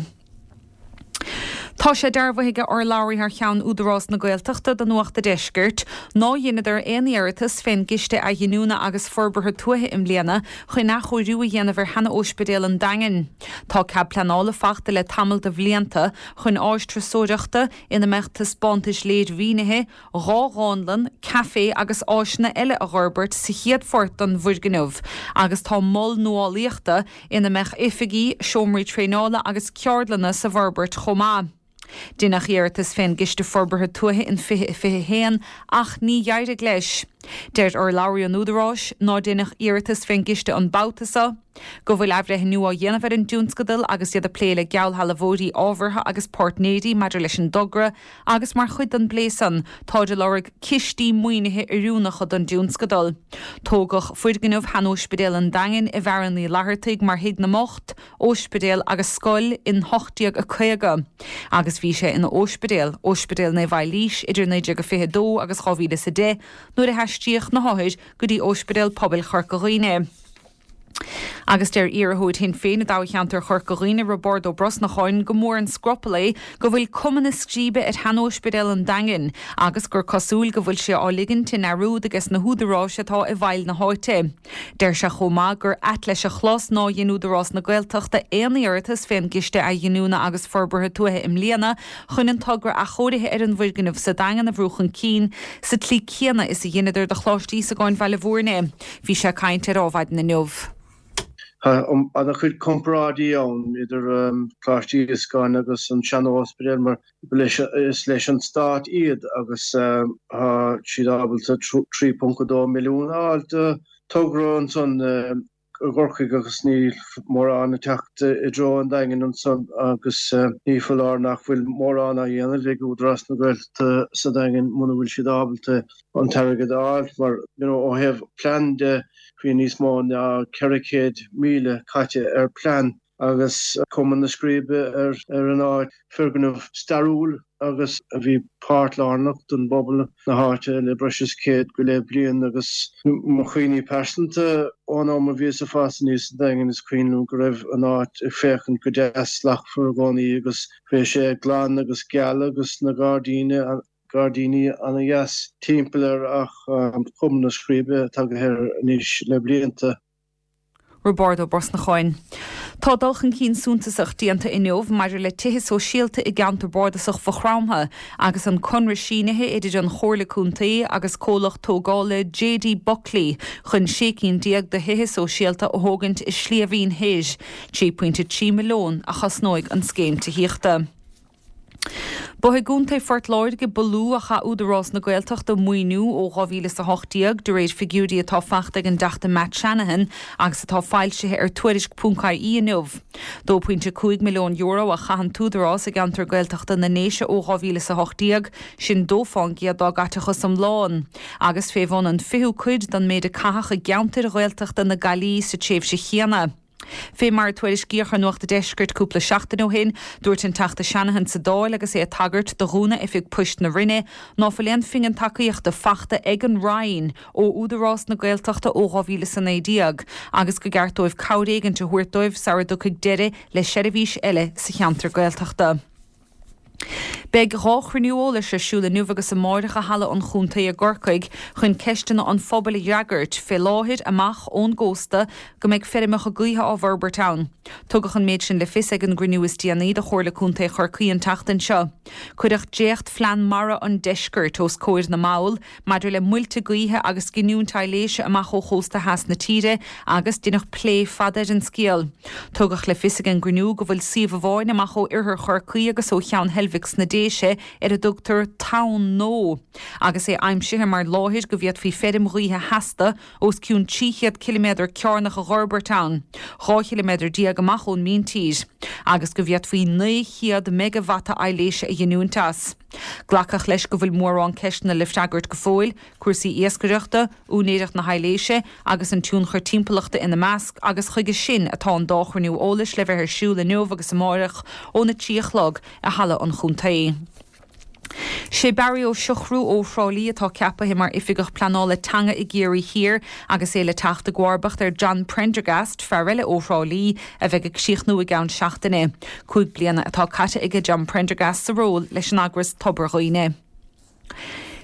Tá sé dearbhaithe ag urlabhraí thar cheann Údarás na Gaeltachta do Nuacht a' Deiscirt ná dheineadar aon iarratas fén gCiste Athghiniúna agus Forbartha Tuaithe i mbliana chun athchóiriú a dhéanamh ar sheana-óispidéal an Daingin. Tá cead pleanála fachta le tamall de bhlianta chun áis turasóireachta ina mbeadh taispeántais léirmhínithe, 2 dhánlann, caifé agus áiseanna eile a dh'fhorbairt sa chéad phort den bhfoirgneamh agus tá mol nuálaíochta ina mbeadh oifigí, seomraí traenála agus ceardlanna sa bhforbairt chomh maith. Deineadh iarratas fén gCiste Forbartha Tuaithe in 2021 ach ní dh'éirigh leis. Deir urlabhraí an Údaráis ná deineadh iarratas fén gciste an babhta so, go bhfuil athbhreithniú á dhéanamh ar an dtionscadal agus iad ag plé le geallshealbhóirí ábhartha agus páirtnéirí maidir leis an dtogra agus mar chuid den bplé san táid ag lorg cistí maoinithe oiriúnacha don dtionscadal. Tógadh foirgneamh shean-Óispidéal an Daingin i bhFearann Uí Fhlaitheartaigh mar thigh na mbocht, óispidéal agus scoil in 1850 agus bhí sé ina óispidéal, Óispidéal Naomh Eilís, idir 1922 agus 2010 nuair a haistríodh na hothair go dtí Óispidéal Pobail Chorca Dhuibhne. Agus deir iarrthóir Shinn Féin i dtoghcheantar Chorca Dhuibhne, Roibeárd Ó Brosnacháin, go mór an scrupall é go bhfuil cuma na scríbe ar shean-óispidéal an Daingin agus gur cosúil go bhfuil sé á ligint i ndearúd ages na húdaráis atá i bhfeighil na háite. Deir sé chomh maith gur ait leis a chlos ná dhein Údarás na Gaeltachta aon iarratas fén gCiste Athghiniúna agus Forbartha Tuaithe i mbliana chun an togra athchóirithe ar an bhfoirgneamh sa Daingean a bhrú chun cinn sa tslí céanna is a dheineadar do Choláiste Íosagáin Bhaile Bhúirne. Bhí sé ag caint ar Adhmhaidin inniu. Tá an-chuid comparáidí ann idir Coláiste Íosagáin agus an sean-óispidéal mar is leis an stát iad agus tá siad ábalta 3.2 milliún a fháil do togra ansan i gCorcaigh agus níl mórán ag teacht i dtreo an Daingin ansan agus ní foláir nach bhfuil mórán á dhéanamh ag Údarás na Gaeltachta sa Daingean muna bhfuil siad ábalta an t-airgead a fháil mar you know ó thaobh plean de bhí níos mó ná 400,000 caite ar plean agus cuma na scríbe ar an áit, foirgneamh stairiúil agus a bhí páirt lárnach don bpobal na háite le breis is 100 go leith bliain agus mo chuimhní pearsanta ón am a bhíos ag fás aníos sa Daingean is cuimhin liom go raibh an áit ag féachaint go deas slachtmhar i gcónaí agus bhí sé glan agus geal agus na gairdíní gairdíní ana-dheas timpeall air ach cuma na scríbe tagtha air anois le blianta. Roibeárd Ó Brosnacháin. Tá dul chun cinn suntasach déanta inniu maidir le tithe sóisialta i gceantar bardasach Mhaigh Chromtha agus an conradh sínithe idir an Chomhairle Contae agus comhlacht tógála JD Buckley chun 16 cinn de thithe sóisialta a thógaint i Sliabh Fhinn Thoir. 3.3 milliún a chosnóidh an scéim tithíochta. Ba i gContae Phort Láirge ba lú a chaith Údarás na Gaeltachta maoiniú ó 2018, de réir figiúirí atá fachta ag an dTeachta Matt Shanahan agus atá foilsithe ar Tuairisc.ie inniu. €2.5 milliún a chaith an tÚdarás i gceantar Gaeltachta na nDéise ó 2018, sin 2 fán gcéad dá gcaiteachas iomlán, agus fé bhun an fichiú cuid den méid a caitheadh i gceantair Ghaeltachta na Gaillimhe sa tréimhse chéanna. Fé mar a tuairiscíodh ar Nuacht a' Deiscirt cúpla seachtain ó shin, dúirt an Teachta Shanahan sa Dáil agus é ag tagairt do dhúnadh oifig poist na Rinne ná fuil aon phingin tacaíochta fachta ag an Roinn ó Údarás na Gaeltachta ó 2019 agus go gceart dóibh cabhair éigint a thabhairt dóibh sara dtiocfaidh deireadh le seirbhís eile sa cheantar Gaeltachta. Beidh 2 chruinniú eolais ar siúl inniu agus amáireach i Halla an Chontae i gCorcaigh chun ceisteanna an phobail a fhreagairt, fé láthair amach ón gcósta go mbeidh feirmeacha gaoithe á bhforbairt ann. Tugadh an méid sin le fios ag an gcruinniú is déanaí de Chomhairle Contae Chorcaí an tseachtain seo. Cuireadh dréacht Phlean Mara an Deiscirt os comhair na mball maidir le muilte gaoithe agus giniúint aibhléise amach ó chósta theas na tíre agus deineadh plé fada ar an scéal. Tugadh le fios ag an gcruinniú go bhfuil suíomh amháin amach ó oirthear Chorcaí agus ó Cheann Heilbhic sna Déise. aibhléise ar a dtugtar Tonn Nó agus é aimsithe mar láthair go bhféadfaí feirm ghaoithe sheasta os cionn 300 ciliméadar cearnach a dh'fhorbairt ann, 12 chiliméadar amach ón míntír, agus go bhféadfaí 900 meigeavata aibhléise a ghiniúint as. Glacadh leis go bhfuil mórán ceisteanna le freagairt go fóill, cúrsaí iascaireachta, úinéireacht na haibhléise agus an tionchar timpeallachta ina measc agus chuige sin atá an dá chruinniú eolais le bheith ar siúl inniu agus amáireach óna 3 a chlog i Halla an Chontae. Sé Barry Ó Siochrú ó Thrá Lí atá ceapaithe mar Oifigeach Pleanála Teanga i gCiarraí Thiar agus é le teacht i gcomharbacht ar John Prendergast, fear eile ó Thrá Lí, a bheidh ag críochnú i gceann seachtaine. 5 bliana atá caite aige John Prendergast sa ról leis an eagras Tobar Dhuibhne.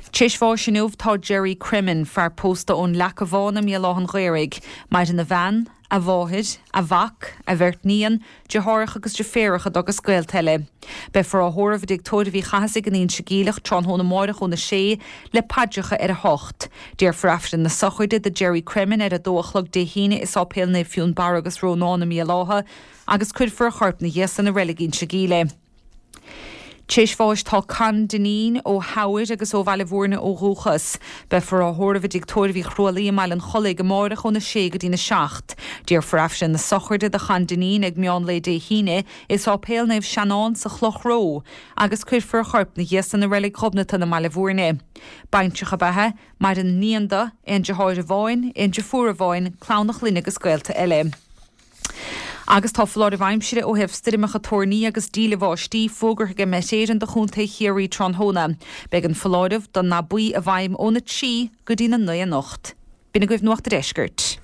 T'éis bháis inniu tá Gerry Cremin, fear pósta ón Leaca Bhán i mBéal Átha'n Ghaorthaidh. Maireann a bhean, a mháthair, a mhac, a bheirt níon, deartháireacha agus deirféaracha dó agus gaolta eile. Beifear á thórramh i dTigh Tórraimh Uí Chathasaigh in Inse Geimhleach tráthnóna amáireach óna sé, le paidreacha ar a hocht. Déarfar Aifreann na sochraide do Gerry Cremin ar a dó a chlog Dé hAoine i Sáipéal Naomh Fionnbarra agus Rónán i mBéal Átha agus cuirfear a chorp 'na dhiaidh san i Reilig Inse Geimhle. T'éis bháis tá Con Dineen ó Theamhair agus ó Bhaile Bhúirne ó dhúchas. Beifear á thórramh i dTigh Tórraimh Uí Chrualaoi i mBaile an Chollaigh amáireach óna sé go dtína seacht. Déarfar Aifreann na sochraide do Chon Dineen ag meán lae Dé hAoine i Sáipéal Naomh Seanán sa Chloch Ró agus cuirfear a chorp 'na dhiaidh san i Reilig Ghobnatan i mBaile Bhúirne. Baintreach ab ea é. Maireann níon dó, aon deartháir amháin, aon deirfiúr amháin, clann a chlainne agus gaolta eile. Agus tá foláireamh aimsire ó thaobh stoirmeacha toirní agus díle bháistí fógartha ag Met Éireann do Chontae Chiarraí tráthnóna. Beidh an foláireamh don ndath buí i bhfeidhm óna 3 go dtí na 9 anocht. B'in agaibh Nuacht a' Deiscirt.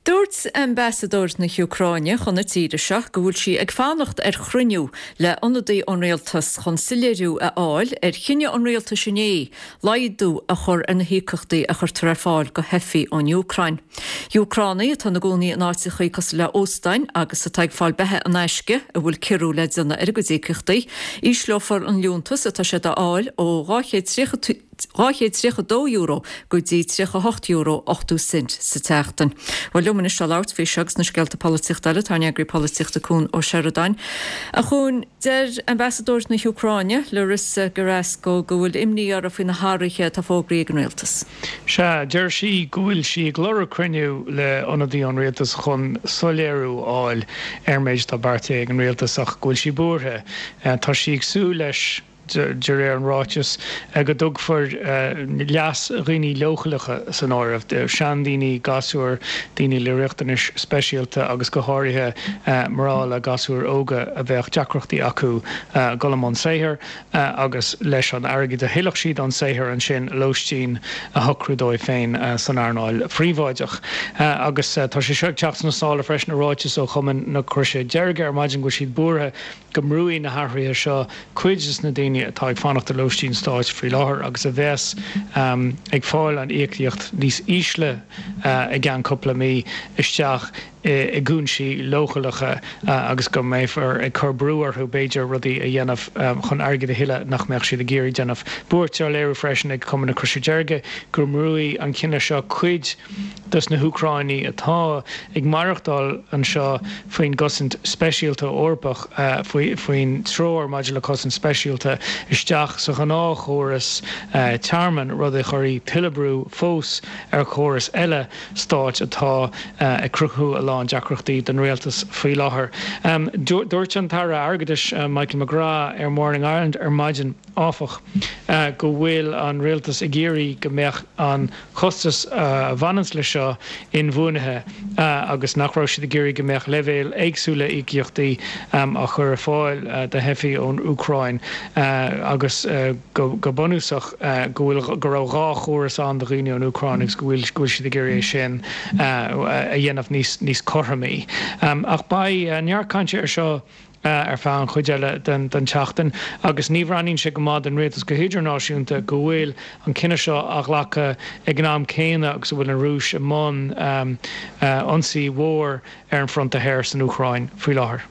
Dúirt ambasadóir na hÚcráine chun na tíre seo go bhfuil sí ag fanacht ar chruinniú le ionadaí ón rialtas chun soiléiriú a fháil ar chinneadh an rialtais inné laghdú a chur ar na híocaíochtaí a chuirtear ar fáil do theifigh ón Úcráin. Úcránaigh atá ina gcónaí in áiteachaí cosúil le óstáin agus atá ag fáil beatha in aisce a bhfuil ciorrú le déanamh ar a gcuid íocaíochtaí, ísleofar an liúntas atá siad a fháil ó 230 €232 go dtí €38 80 cent sa tseachtain. Bhuel, liom anois le labhairt faoi seo agus na scéalta polaitíochta eile, tá ár n-eagraí polaitíochta Cuan Ó Seireadáin. A Chuain, deir ambasadóir na hÚcráine, Larissa Gerasko, go bhfuil imní uirthi faoi na hathruithe atá fógraithe ag an rialtas. Sea, deir sí go bhfuil sí ag lorg cruinniú le ionadaí ón rialtas chun soiléiriú a fháil ar an méid atá beartaithe ag an rialtas ach go bhfuil sí buartha. Tá sí ag súil leis. de réir an ráitis, go dtugfar leas dhaoine leochaileacha san áireamh, seandaoine, gasúir, daoine le riachtanais speisialta agus go háirithe mná le gasúir óga a bheadh deacrachtaí acu dul i mbun saothair agus leis an airgead a thuillfeadh siad ón saothar ansin lóistín a shocrú dóibh féin san earnáil phríobháideach. Agus tá sé seo ag teacht sna sála freisin ar ráiteas ó Chumann na Croise Deirge ar maidin go bhfuil siad buartha go mbrúfaidh na hathruithe seo cuid de na daoine atá ag fanacht ar lóistín stáit faoi láthair agus a bheas ag fáil an íocaíocht níos ísle i gceann cúpla mí isteach i gcúinsí leochaileacha agus go mbeifear ag cur brú orthu b'fhéidir rudaí a dhéanamh chun airgead a thuilleadh nach mbeadh siad ag iarraidh déanamh. Buairt á léiriú freisin ag Cumann na Croise Deirge go mbrúfaidh an cinneadh seo cuid dos na hÚcráinigh atá ag maireachtáil anseo faoin gcosaint speisialta Eorpach, faoin Treoir maidir le Cosaint Speisialta, isteach sa ghnáthchóras tearmainn, rud a chuirfidh tuilleadh brú fós ar chóras eile stáit atá ag cruthú a lán deacrachtaí don rialtas faoi láthair. Dúirt an tAire Airgeadais Michael McGrath ar Morning Ireland ar maidin, áfach, go bhfuil an rialtas ag iarraidh go mbeadh an costas a bhaineanns leis seo inbhuanaithe agus nach raibh siad ag iarraidh go mbeadh leibhéil éagsúla íocaíochtaí á chur ar fáil do theifigh ón Úcráin agus go bunúsach go bhfuil go raibh dhá chóras ann do dhaoine ón Úcráin agus go bhfuil go bhfuil siad ag iarraidh é sin a dhéanamh níos níos cothromaí. Ach beidh neart cainte ar seo ar feadh an chuid eile den tseachtain agus ní bhreathnaíonn sé go maith don rialtas go hidirnáisiúnta go bhfuil an cinneadh seo á ghlacadh ag an am céanna agus a bhfuil an Rúis i mbun ionsaí mhór ar an bhfronta thoir san Úcráin faoi láthair.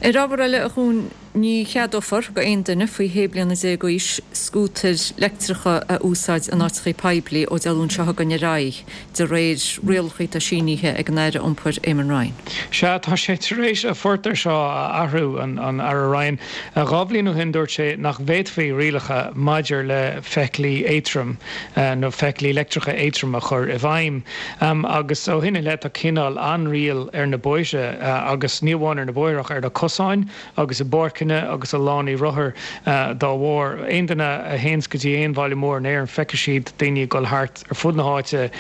Ar ábhar eile, a Chuain. Ní cheadófar go aon duine faoi shé bliana déag d'aois scútair leictreacha a úsáid in áiteachaí poiblí ó Dé Luain seo chugainn ar aghaidh, de réir rialacha atá sínithe ag an Aire Iompair Eamon Ryan. Sea, tá sé tar éis a phort air seo a athrú, an Aire Ryan. Dhá bhliain ó shin dúirt sé nach bhféadfaí rialacha maidir le feithiclí éadtrom nó feithiclí leictreacha éadtrom a chur i bhfeidhm. Agus ó shin i leith tá cineál ainriail ar na bóithre agus ní amháin ar na bóithre ach ar na cosáin agus i bpáirceanna agus i lánaí rothar dá bharr. Aon duine a théanns go dtí aon bhaile mór in Éirinn feicfidh siad daoine ag dul thart ar fud na háite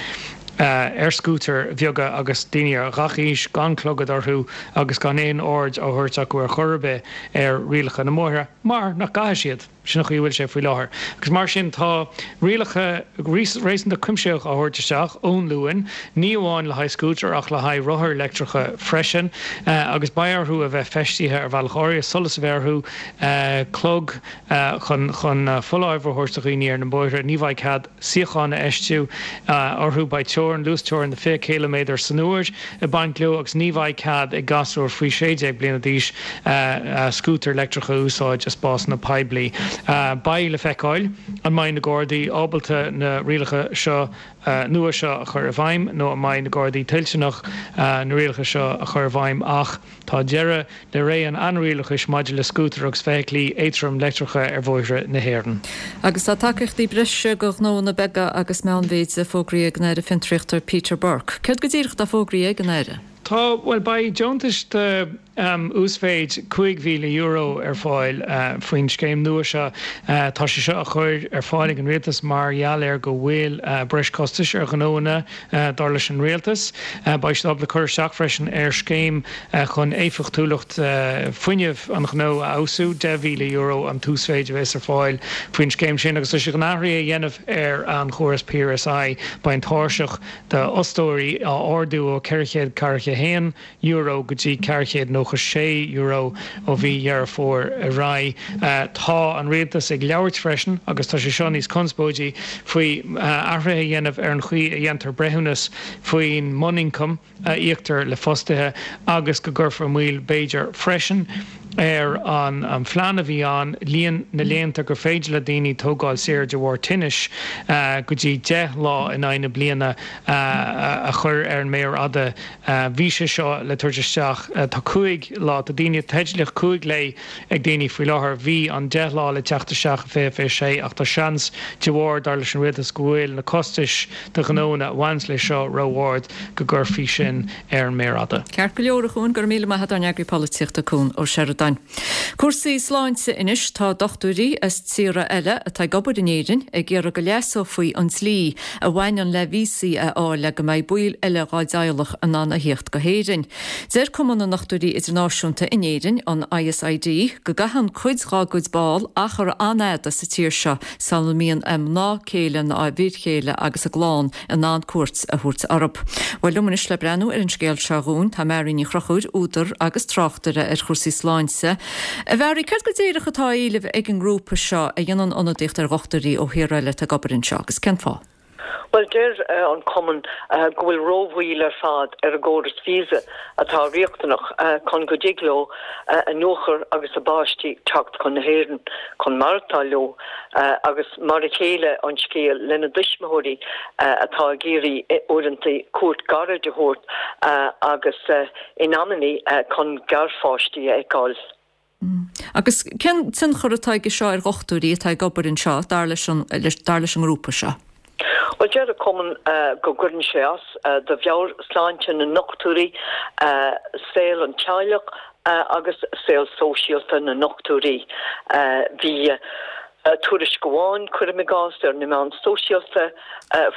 ar scútair bheaga agus daoine ar gach aois gan clogad orthu agus gan aon aird á thabhairt acu ar chor ar bith ar rialacha na mbóithre mar nach gcaithfidh siad. Sin an chaoi a bhfuil sé faoi láthair. Agus mar sin tá rialacha réasúnta cuimsitheach á thabhairt isteach ón Luan, ní amháin le haghaidh scútar ach le haghaidh rothair leictreacha freisin. Agus beidh orthu a bheith feistithe ar bhealach áirithe, solas a bheith orthu, clog chun chun foláireamh a thabhairt do dhaoine ar na bóithre. Ní bheidh cead suíocháin a fheistiú orthu. Beidh teorainn, luasteorainn de 20 ciliméadar san uair ag baint leo agus ní bheidh cead ag gasúir faoi 16 bliana d'aois scútar leictreach a úsáid i spásanna poiblí. Beidh le feiceáil an mbeidh na Gardaí ábalta na rialacha seo nua seo a chur i bhfeidhm nó an mbeidh na Gardaí toilteanach na rialacha seo a chur i bhfeidhm ach Tá deireadh le ré an ainrialachais maidir le scútair agus feithiclí éadtrom leictreacha ar bhóithre na hÉireann. Agus tá tacaíochtaí breise do ghnóanna beaga agus meánmhéide fógraithe ag an Aire Fiontraíochta Peter Burke. Céard go díreach atá fógraithe ag an Aire? Tá, bhuel beidh deontais d'uasmhéid €5,000 ar fáil faoin scéim nua seo. Tá sé seo á chur ar fáil ag an Rialtas mar gheall ar go bhfuil breis costais ar ghnóanna Dar leis an Rialtas, beidh siad ábalta cur isteach freisin ar scéim chun éifeachtúlacht fuinnimh an ghnó a fheabhsú. €10,000 an t-uasmhéid a bheas ar fáil faoin scéim sin agus tá siad chun athruithe a dhéanamh ar an chóras PRSI. Beidh an tairseach d'fhostóirí á ardú ó €441 euro go dtí €496 ó mhí Dheireadh Fómhair ar aghaidh. Tá an Rialtas ag labhairt freisin, agus tá sé seo níos conspóidí, faoi athruithe a dhéanamh ar an chaoi a dhéantar breithiúnas faoin mbunioncam a íoctar le fostaithe agus go gcuirfear moill b'fhéidir freisin ar an phlean a bhí ann líon na laethanta gur féidir le daoine tógáil saor de bharr tinnis go dtí 10 lá in aghaidh na bliana a chur ar an méar fhada. Bhí sé seo le tabhairt isteach. Tá 5 lá, tá daoine, teidlíocht 5 lae ag daoine faoi láthair. Bhí an 10 lá le teacht isteach i 2026 ach tá seans, de bharr, dar leis an Rialtas, go bhfuil na costais do ghnóanna a bhaineanns leis seo ró-ard, go gcuirfí sin ar an méar fhada. Ceart go leor, a Chuain, go raibh míle maith agat ár n-eagraí polaitíochta, Cuan Ó Seireadáin. Cúrsaí sláinte anois, tá dochtúirí as tíortha eile atá ag obair in Éirinn ag iarraidh go leasófaí an dlí a bhaineann le víosaí a fháil le go mbeidh baill eile dhá dteaghlach in ann a thíocht go hÉirinn. Deir Cumann na nDochtúirí Idirnáisiúnta in Éirinn, an ISID, go gcaitheann cuid dhá gcuid ball achar an-fhada sa tír seo sula mbíonn a mná céile ná a bhfir chéile agus a gclann in ann cuairt a thabhairt orthu. Bhuel, liom anois le breathnú ar an scéal seo dhúinn, tá Mary Ní Chonchúir, údar agus tráchtaire ar chúrsaí sláinte. A Mhary, céard go díreach atá á éileamh ag an ngrúpa seo a dhéanann ionadaíocht ar dhochtúirí ó thíortha eile atá ag obair anseo, agus cén fáth? Bhuel, deir an cumann go bhfuil rómhoill ar fad ar an gcóras visa atá riachtanach chun go dtig leo a nuachar agus a bpáistí teacht chun na hÉireann chun maireachtáil leo agus mar a chéile an scéal lena dtuismitheoirí atá ag iarraidh uaireanta cuairt ghairid a thabhairt agus in amannaí chun garpháistí a fheiceáil. Agus cén tionchar atá aige seo ar dhochtúirí atá ag obair anseo, dar leis an dar leis an ngrúpa seo? Bhuel, deir an cumann go gcuireann sé as do mheabhairshláinte na ndochtúirí, saol an teaghlach agus saol sóisialta na ndochtúirí. Bhí tuairisc amháin, cuirim i gcás, ar na meáin sóisialta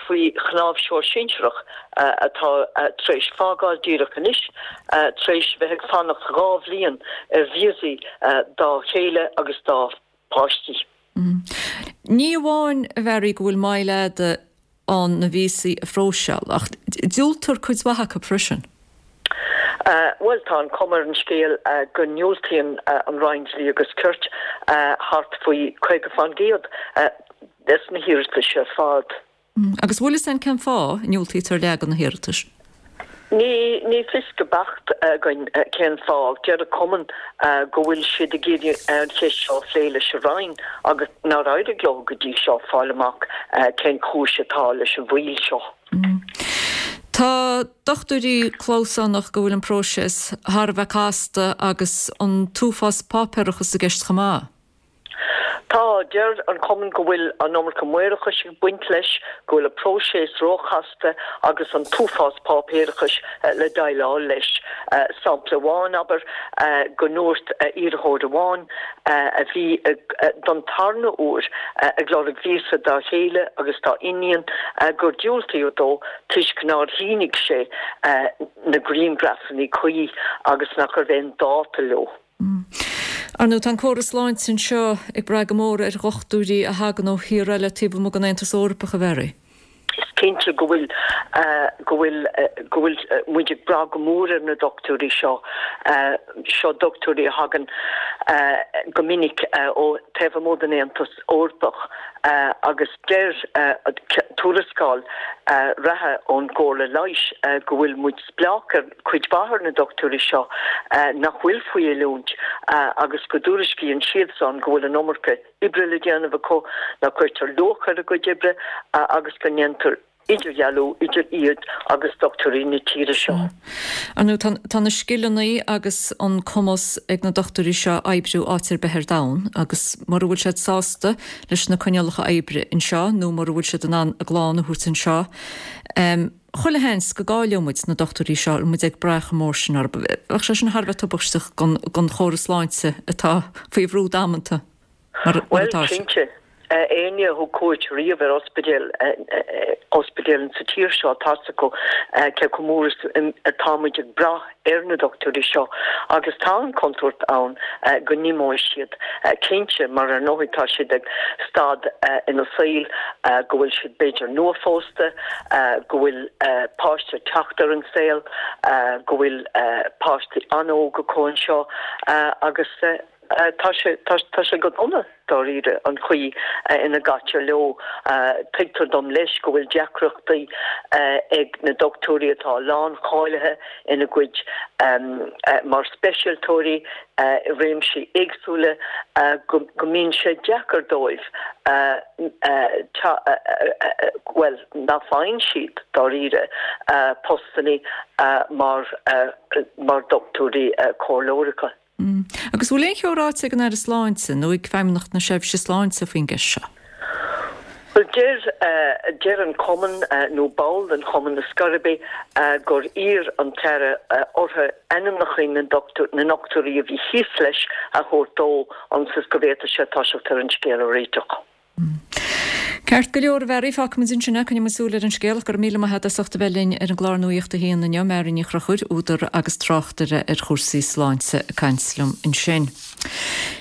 faoi chnáimhseoir sinsearach atá tar éis fágáil díreach anois tar éis bheith ag fanacht 2 bhliain ar víosaí dá chéile agus dá páistí. Ní amháin, a Mhary, go bhfuil moill fhada ann na víosaí a phróiseáil, ach diúltar cuid mhaith acu freisin. Bhuel, tá an chuma ar an scéal go ndiúltaíonn an Roinn Dlí agus Cirt thart faoi 50% des na hiarratais ar fad. Agus bhfuil fhios a'inn cén fáth a ndiúltaítear leath de na hiarratais? Ní, ní fios go beacht againn cén fáth. Deir an Cumann go bhfuil siad ag iarraidh an cheist seo a phlé leis an Roinn agus nár éirigh leo go dtí seo fáil amach cén chúis atá leis an mhoill seo. Tá dochtúirí clamhsánach go bhfuil an próiseas thar a bheith casta agus an t-uafás páipéarachas i gceist chomh maith. Tá. Deir an Cumann go bhfuil an iomarca maorachais ag baint leis, go bhfuil an próiseas róchasta agus an t-uafás páipéarachais le déileáil leis. Sampla amháin, abair, go ndúirt iarrthóir amháin a bhí don tarna huair ag lorg víosa dá chéile agus dá iníon gur diúltaíodh dó toisc nár shínigh sé na grianghrafanna cuí agus nach raibh aon dáta leo. Ar ndóigh, tá an córas sláinte anseo ag brath go mór ar dhochtúirí a thagann ó thíortha eile taobh amuigh den Aontas Eorpach, a Mhary. Is cinnte go bhfuil, go bhfuil, go bhfuil muid ag brath go mór ar na dochtúirí seo. Seo dochtúirí a thagann go minic ó taobh amuigh den Aontas Eorpach agus deir tuarascáil reatha ón gComhairle Leighis go bhfuil muid spleách ar cuid mhaith ar na dochtúirí seo nach bhfuil faoi oiliúint agus go dtuairiscíonn siadsan go bhfuil an iomarca oibre le déanamh acu, nach gcuirtear luach ar a gcuid oibre agus go ndéantar idirdhealú idir iad agus dochtúirí na tíre seo. Ar ndóigh, tá na scileanna agus an cumas ag na dochtúirí seo oibriú áit ar bith ar domhan agus mura bhfuil siad sásta leis na coinníollacha oibre anseo nó mura bhfuil siad in ann a gclann a thabhairt anseo, Chuile sheans go gcaillfidh muid na dochtúirí seo, muid ag brath chomh mór sin orthu. Bheadh sé sin thar a bheith tubaisteach don chóras sláinte atá faoi bhrú damanta mar atá sé. Bhuel, cinnte. Éinne a thug cuairt riamh ar ospidéal, ospidéal sa tír seo, tá 'fhios acu cé chomh mór is atá muid ag brath ar na dochtúirí seo agus tá an chontúirt ann go n-imeoidh siad, cinnte, mar ar ndóigh tá siad ag staid ina saol go bhfuil siad b'fhéidir nuaphósta, go bhfuil páiste ag teacht ar an saol, go bhfuil páistí an-óg acu anseo agus tá sé, tá sé go dona. dáiríre, an chaoi ina gcaitear leo. Tuigtear dom leis go bhfuil deacrachtaí ag na dochtúirí atá lán-cháilithe ina gcuid mar speisialtóirí i réimsí éagsúla, go mbíonn sé deacair dóibh, bhuel, nach bhfaigheann siad, dáiríre, postanna mar dhochtúirí comhairleoireacha. Agus bhfuil aon cheo ráite ag an Aire Sláinte nó ag Feidhmeannacht na Seirbhíse Sláinte faoin gceist seo? Bhuel, deir, deir an Cumann, nó ball den Chumann ar scor ar bith, gur iarr an tAire orthu ainmneacha na na ndochtúirí a bhí thíos leis a thabhairt dó ionas is go bhféadfadh sé toiseacht ar an scéal a réiteach. Ceart go leor, a Mhary, fágfaimid ansin é. Coinneoidh muid súil ar an scéal ach go raibh míle maith agat as ucht a bheith linn ar an gclár Nuacht a hAon inniu. Mary Ní Chonchúir, údar agus tráchtaire ar chúrsaí sláinte ag caint liom ansin.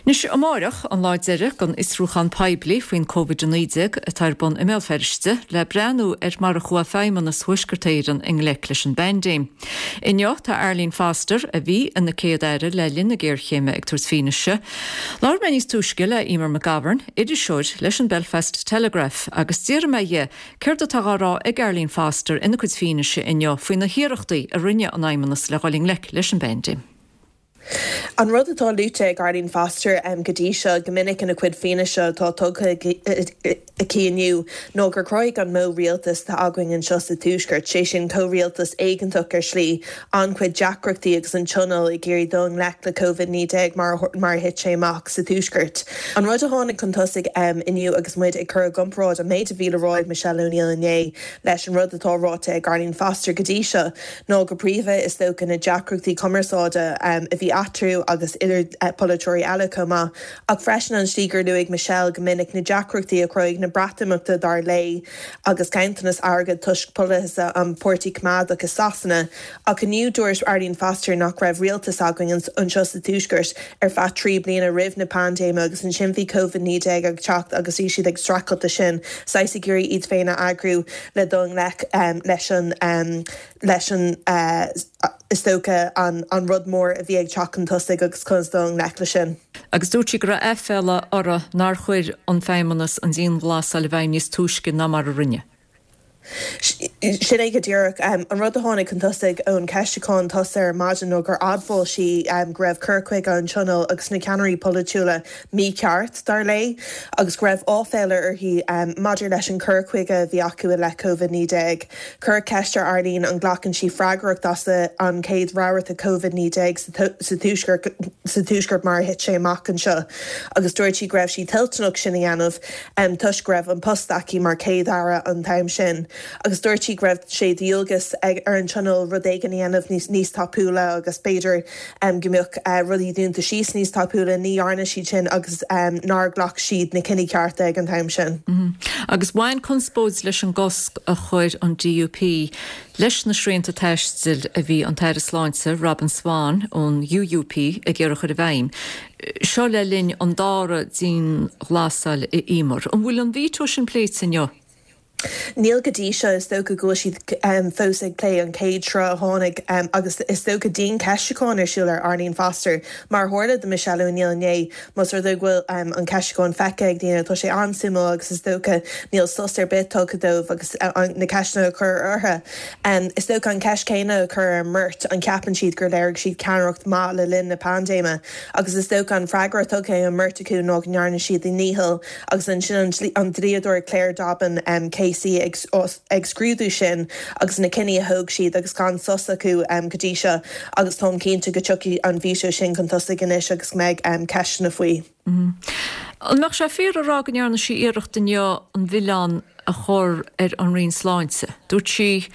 Anois, amáireach, an lá deiridh den fhiosrúchán poiblí faoin Covid-19 atá ar bun i mBéal Feirste le breathnú ar mar a chuaigh Feidhmeannas Thuaisceart Éireann i ngleic leis an bpaindéim. Inniu, tá Arlene Foster, a bhí ina Céad-Aire le linn na géarchéime, ag tabhairt fianaise. Labhair mé níos túisce le Emer McGovern, iriseoir leis an Belfast Telegraph, agus d'fhiafraigh mé dhi céard atá á rá ag Arlene Foster ina cuid fianaise inniu faoi na hiarrachtaí a rinne an Fheidhmeannas le dhul i ngleic leis an bpaindéim. An rud atá luaite ag Arlene Foster go dtí seo go minic ina cuid fianaise atá tugtha aici inniu ná gur chruthaigh an modh rialtais atá againn anseo sa Tuaisceart, sé sin comhrialtas éigeantach ar shlí, an-chuid deacrachtaí agus an Tionól ag iarraidh dul i ngleic le Covid-19 mar a thit sé amach sa Tuaisceart. An rud a tháinig chun tosaigh inniu agus muid ag cur i gcomparáid an méid a bhí le rá ag Michelle O'Neill inné leis an rud atá ráite ag Arlene Foster go dtí seo ná go príomha is dócha na deacrachtaí cumarsáide a bhí eatarthu agus idir polaiteoirí eile chomh maith Ach freisin an tslí gur luaigh Michelle go minic na deacrachtaí a chruthaigh na Breatimeachta dar léi agus ganntanas airgid toisc polasaithe an Páirtí Coimeádach i Sasana. Ach inniu dúirt Arlene Foster nach raibh rialtas againn anseo sa Tuaisceart ar feadh 3 bliana roimh na paindéime agus ansin bhí Covid-19 ag teacht agus bhí siad ag streachailt leis sin, saghas ag iarraidh iad féin a eagrú le dul i ngleic leis an leis an, is dócha, an rud mór a bhí ag teacht chun tosaigh agus conas dul i ngleic leis sin. Agus dúirt sí go raibh aiféala uirthi nár chuir an Feidhmeannas an dianghlasáil i bhfeidhm níos túisce ná mar a rinne. Sin é go díreach. An rud a tháinig chun tosaigh ón cheistiúchán tosaigh ar maidin ná gur admháil sí go raibh cur chuige an Tionóil agus na ceannairí polaitiúla mícheart, dar léi, agus go raibh áiféala uirthi maidir leis an cur chuige a bhí acu i leith Covid-19. Cuireadh ceist ar Arlene an nglacann sí freagracht as an chéad rabharta Covid-19 sa Tuaisceart mar a thit sé amach anseo agus dúirt sí go raibh sí toilteanach sin a dhéanamh. toisc go raibh an post aici mar Chéad-Aire an t-am sin agus dúirt sí go raibh sé de dhualgas ar an Tionól rud éigin a dhéanamh níos tapúla agus b'fhéidir go mbeadh rudaí dúnta síos níos tapúla. Ní dhearna siad sin agus nár ghlac siad na cinní cearta ag an t-am sin. Agus bhain conspóid leis an gcosc a chuir an DUP leis na srianta taistil a bhí an tAire Sláinte, Robin Swann ón UUP, ag iarraidh a chur i bhfeidhm. Seo le linn an dara dianghlasáil i Emer. An bhfuil an veto sin pléite inniu? Níl go dtí seo. Is dócha go bhfuil siad fós ag plé an chéad sruth a tháinig agus is dócha diancheistiúchán ar siúl ar Arlene Foster, mar a tharla do Michelle O'Neill inné. Más rud é go bhfuil an ceistiúchán feicthe ag daoine, tá sé an-suimiúil agus is dócha níl sos ar bith tugtha dóibh agus na ceisteanna a chur orthu. Is dócha an cheist chéanna a chur ar an mbeirt, an gceapann siad gur léirigh siad ceannaireacht maith le linn na paindéime? Agus is dócha an freagra tugtha ag an mbeirt acu ná go ndearna siad a ndícheall agus ansin an dlíodóir Claire Dobbin KC ag scrúdú sin agus na cinní a thóg siad agus gan sos acu go dtí seo agus táim cinnte go dtiocfaidh an veto sin chun tosaigh anois agus go mbeidh ceisteanna faoi. An mbeadh sé fíor a rá go ndearna sí iarracht inniu an milleán a chur ar an Roinn Sláinte? Dúirt sí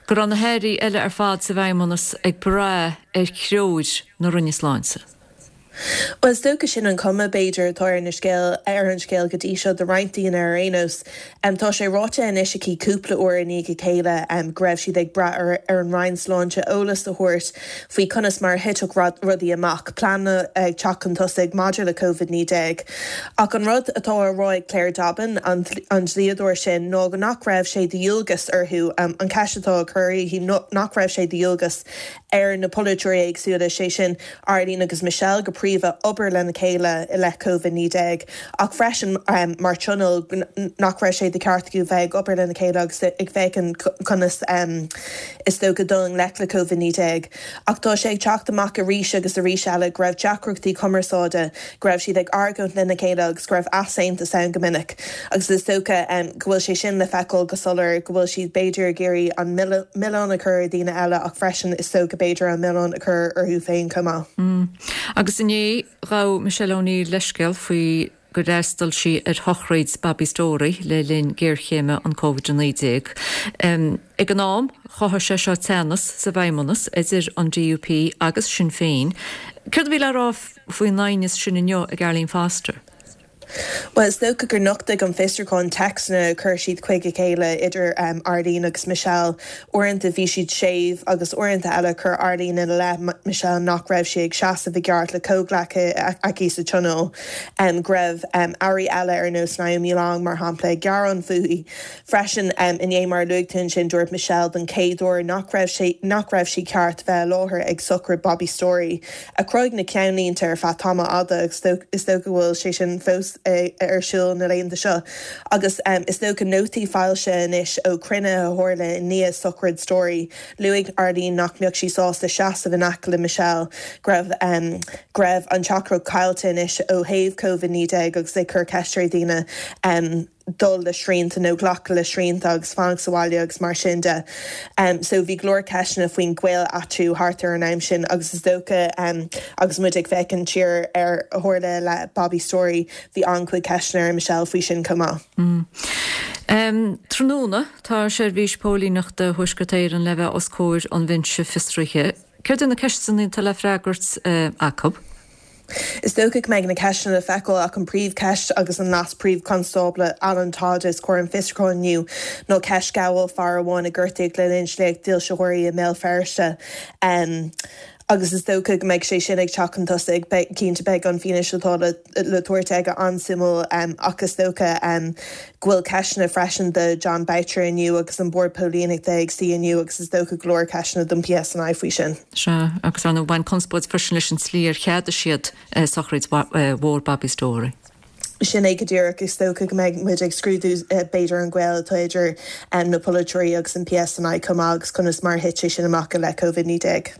go raibh na hairí eile ar fad sa bhFeidhmeannas ag brath ar threoir na Roinne Sláinte. Bhuel, is dócha sin an chuma, b'fhéidir, atá ar na scéal, ar an scéal go dtí seo do roinnt daoine ar aon nós. Tá sé ráite anois aici cúpla uair i ndiaidh a chéile go raibh siad ag brath ar ar an Roinn Sláinte eolas a thabhairt faoi conas mar a thitfeadh rudaí amach, pleananna ag teacht chun tosaigh maidir le Covid-19. Ach an rud atá á rá ag Claire Dobbin, an dlíodóir sin, ná go nach raibh sé de dhualgas orthu, an cheist atá á cur uirthi, nach raibh sé de dhualgas ar na polaiteoirí éagsúla, sé sin Arlene agus Michelle go príomha, obair lena chéile i leith Covid-19 ach freisin mar Tionól nach raibh sé de cheart acu bheith ag obair lena chéile agus ag féachaint conas is dócha dul i ngleic le Covid-19. Ach tá sé ag teacht amach arís agus arís eile go raibh deacrachtaí cumarsáide, go raibh siad ag argóint lena chéile agus go raibh easaontas ann go minic. Agus is dócha go bhfuil sé sin le feiceáil go soiléir, go bhfuil siad b'fhéidir ag iarraidh an milleán a chur ar dhaoine eile ach freisin is dócha b'fhéidir an milleán a chur orthu féin chomh maith. Agus inné ghabh Michelle O'Neill leithscéal faoi gur fhreastail sí ar shochraid Bobby Storey le linn géarchéime an Covid-19. Ag an am, chothaigh sé seo teannas sa bhFeidhmeannas idir an DUP agus Sinn Féin. Céard a bhí le rá faoin aighneas sin inniu ag Arlene Foster? Bhuel, is dócha gur nochtaigh an fiosrúchán téacsanna a chuir siad chuig a chéile, idir Arlene agus Michelle. Uaireanta bhí siad séimh agus uaireanta eile chuir Arlene ina leith Michelle nach raibh sí ag seasamh i gceart le comhghleacaithe aici sa Tionól, go raibh airí eile ar nós Naomi Long, mar shampla, ag gearán fúithi. Freisin, inné, mar a luaigh tú ansin, dúirt Michelle don chéad uair nach raibh sé nach raibh sí ceart bheith i láthair ag sochraid Bobby Storey, a chruthaigh na ceannlínte ar feadh tamall fhada agus is dócha go bhfuil sé sin fós ar siúl na laethanta seo. Agus is dócha nótaí foilsithe anois ó chruinnithe a tharla i ndiaidh sochraid Storey, luaigh Arlene nach mbeadh sí sásta seasamh in aice le Michelle, go raibh go raibh an teachtaireacht caillte anois ó thaobh Covid-19 agus ag cur ceist ar dhaoine. dul le srianta nó glacadh le srianta agus fanacht sa bhaile agus mar sin de. So bhí go leor ceisteanna faoin ghaol eatarthu thart ar an am sin agus is dócha agus muid ag féachaint siar ar a tharla le Bobby Storey, bhí an-chuid ceisteanna ar Michelle faoi sin chomh maith. Tráthnóna, tá Seirbhís Póilíneachta Thuaisceart Éireann le bheith os comhair an Bhinse Fiosraithe. Céard iad na ceisteanna atá le freagairt acu? Is dócha go mbeidh na ceisteanna le feiceáil ach an príomhcheist agus an Leas-Phríomh-Chonstábla Alan Todd os comhair an fiosrúcháin inniu ná ceist gabháil fear amháin a gortaíodh le linn sléacht dílseoirí i mBéal Feirste agus is dócha go mbeidh sé sin ag teacht chun tosaigh. Cinnte beidh an fianaise atá le tabhairt aige an-suimiúil ach is dócha go bhfuil ceisteanna freisin do Jon Boutcher inniu agus an Bord Póilíneachta ag suí inniu agus is dócha go leor ceisteanna don PSNI faoi sin. Sea, agus ar ndóigh bhain conspóid freisin leis an tslí ar cheadaigh siad sochraid mhór Bobby Storey. Sin é go díreach. Is dócha go mbeidh muid ag scrúdú b'fhéidir an gaol atá idir na polaiteoirí agus an PSNI chomh maith agus conas mar a thit sé sin amach i leith Covid-19.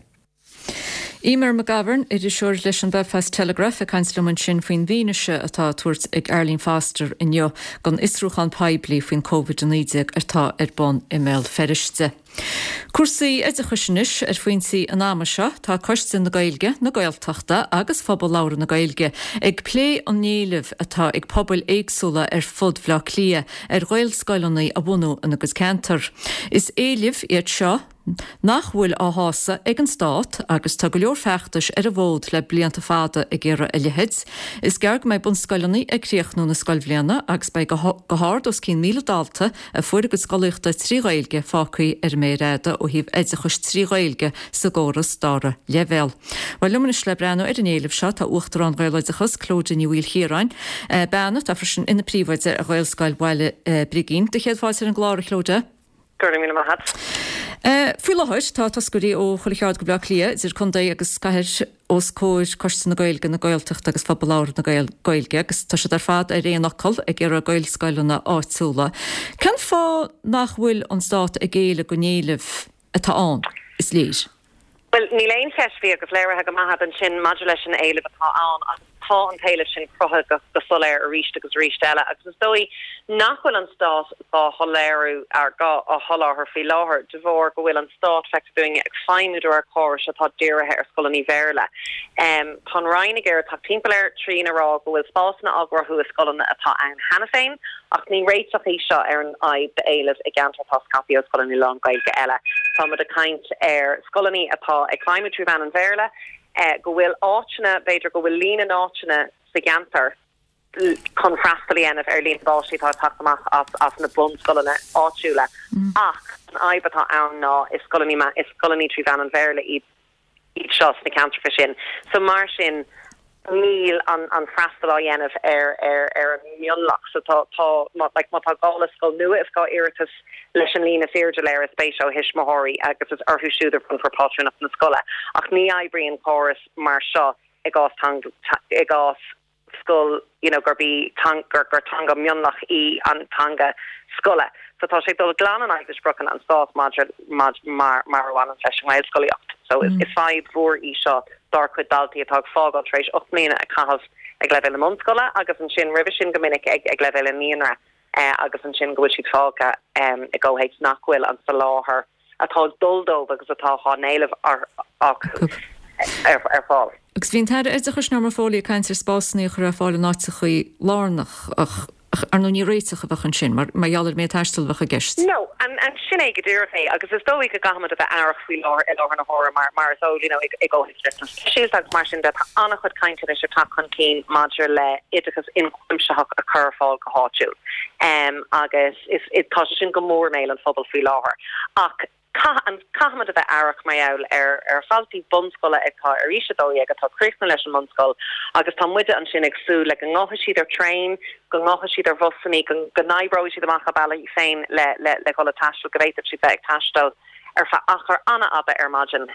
Eimear McGovern, iriseoir leis an Belfast Telegraph ag caint liom ansin faoin bhfianaise atá á tabhairt ag Arlene Foster inniu don fhiosrúchán poiblí faoin Covid-19 atá ar bun i mBéal Feirste. Cúrsaí oideachais anois ar phointí an ama seo, tá Coiste na Gaeilge, na Gaeltachta agus Phobal Labhartha na Gaeilge ag plé an éilimh atá ag pobail éagsúla ar fud Bhaile Átha Cliath ar Ghaelscoileanna a bhunú ina gcuid ceantar. Is éilimh iad seo nach bhfuil á shásamh ag an Stát agus tá go leor feachtais ar an bhfód le blianta fada ag iarraidh a leithéid. Is gearr go mbeidh bunscoileanna ag críochnú na scoilbhliana agus beidh go hard os cionn 1,000 dalta a fuair a gcuid scolaíochta trí Ghaeilge fágtha ar an méar fhada ó thaobh oideachais trí Ghaeilge sa gcóras dara leibhéal. Bhuel, liom anois le breathnú ar an éileamh seo tá Uachtarán Ghaeloideachas, Clodagh Ní Mhaoilchiaráin, bean atá freisin ina príomhoide ar Ghaelscoil Bhaile Brigín. Do chéad fáilte ar an gclár, a Chlodagh. Go raibh míle maith agat. Faoi láthair tá toscairí ó chuile cheard de Bhaile Átha Cliath, idir contae agus cathair, os comhair Coiste na Gaeilge, na Gaeltachta agus Phobal Labhartha na Gaeilge agus tá siad ar fad ar aon fhocal ag iarraidh Gaelscoileanna áitiúla. Cén fáth nach bhfuil an Stát ag géilleadh don éileamh atá ann, is léir? Bhuel, níl aon cheist faoi agus léirithe go maith agat ansin maidir leis an éileamh atá ann agus tá an t-éileamh sin cruthaithe go soiléir arís agus arís eile agus is dóigh nach bhfuil an Stát dhá shoiléiriú dhá sholáthar faoi láthair de bharr go bhfuil an Stát, feictear dúinne, ag feidhmiú de réir córais atá dírithe ar scoileanna Bhéarla. Tá an Roinn ag iarraidh teacht timpeall air trína rá go bhfuil spásanna á gcruthú i scoileanna atá ann cheana féin ach ní réiteach í seo ar an fhadhb d'éileamh i gceantar atá scaipthe ó scoileanna lán-Ghaeilge eile. Tá muid ag caint ar scoileanna atá ag feidhmiú trí mheán an Bhéarla, go bhfuil áiteanna, b'fhéidir go bhfuil líon na n-áiteanna sa gceantar chun freastal a dhéanamh ar líon na bpáistí atá ag teacht amach as na bunscoileanna áitiúla. Ach an fhadhb atá ann ná is scoileanna is scoileanna trí mheán an Bhéarla iad iad seo sna ceantracha sin. So mar sin níl an an freastal á dhéanamh ar ar ar an mionlach. So tá tá má like má tá gá le scoil nua is gá iarratas leis an líon is airde léirithe spéise ó thuismitheoirí agus is orthu siúd a bhronnfar pátrúnacht na scoile. Ach ní oibríonn córas mar seo i gcás i gcás scoil you know gurb í gur gur teanga mionlach í an teanga scoile. So tá sé ag dul glan in aghaidh na spriocanna an Stáit maidir mar mar a bhaineann leis an nGaelscolaíocht. So is is fadhb mhór í seo dár cuid daltaí atá ag fágáil tar éis 8 mbliana a chaitheamh ag leibhéal na mbunscoile agus ansin roimhe sin go minic ag ag leibhéal an naíonra agus ansin go bhfuil siad fágtha i gcomhthéacs nach bhfuil an soláthar atá ag dul dóibh agus atá á n-éileamh acu ar fáil. Agus bhí an tAire Oideachais Norma Foley ag caint ar spásanna a chur ar fáil in áiteachaí lárnach ach ar ndóigh ní réiteach a bheadh ansin mar mar gheall ar an méid taistil a bheadh i gceist. No, and sin é go díreach é agus is dóigh go gcaithfimid a bheith aireach faoi láthair i láthair na huaire mar mar is eol you know i gcomhthéacs riachtanas speisialta agus mar sin de tá an-chuid cainte anois ag teacht chun cinn maidir le oideachas ionchuimsitheach a chur ar fáil go háitiúil agus is tá sé sin go mór i mbéal an phobail faoi láthair. Ach caithfimid a bheith aireach mar gheall ar ar dhaltaí bunscoile atá ar aois 12 atá ag críochnú leis an mbunscoil agus tá muide ansin ag súil le go ngabhfaidh siad ar traein, go ngabhfaidh siad ar bhusanna, go go n-oibreoidh siad amach a bealaí féin le le le dhul ag taisteal, go bhféadfadh siad bheith ag taisteal ar feadh achar an-fhada ar maidin.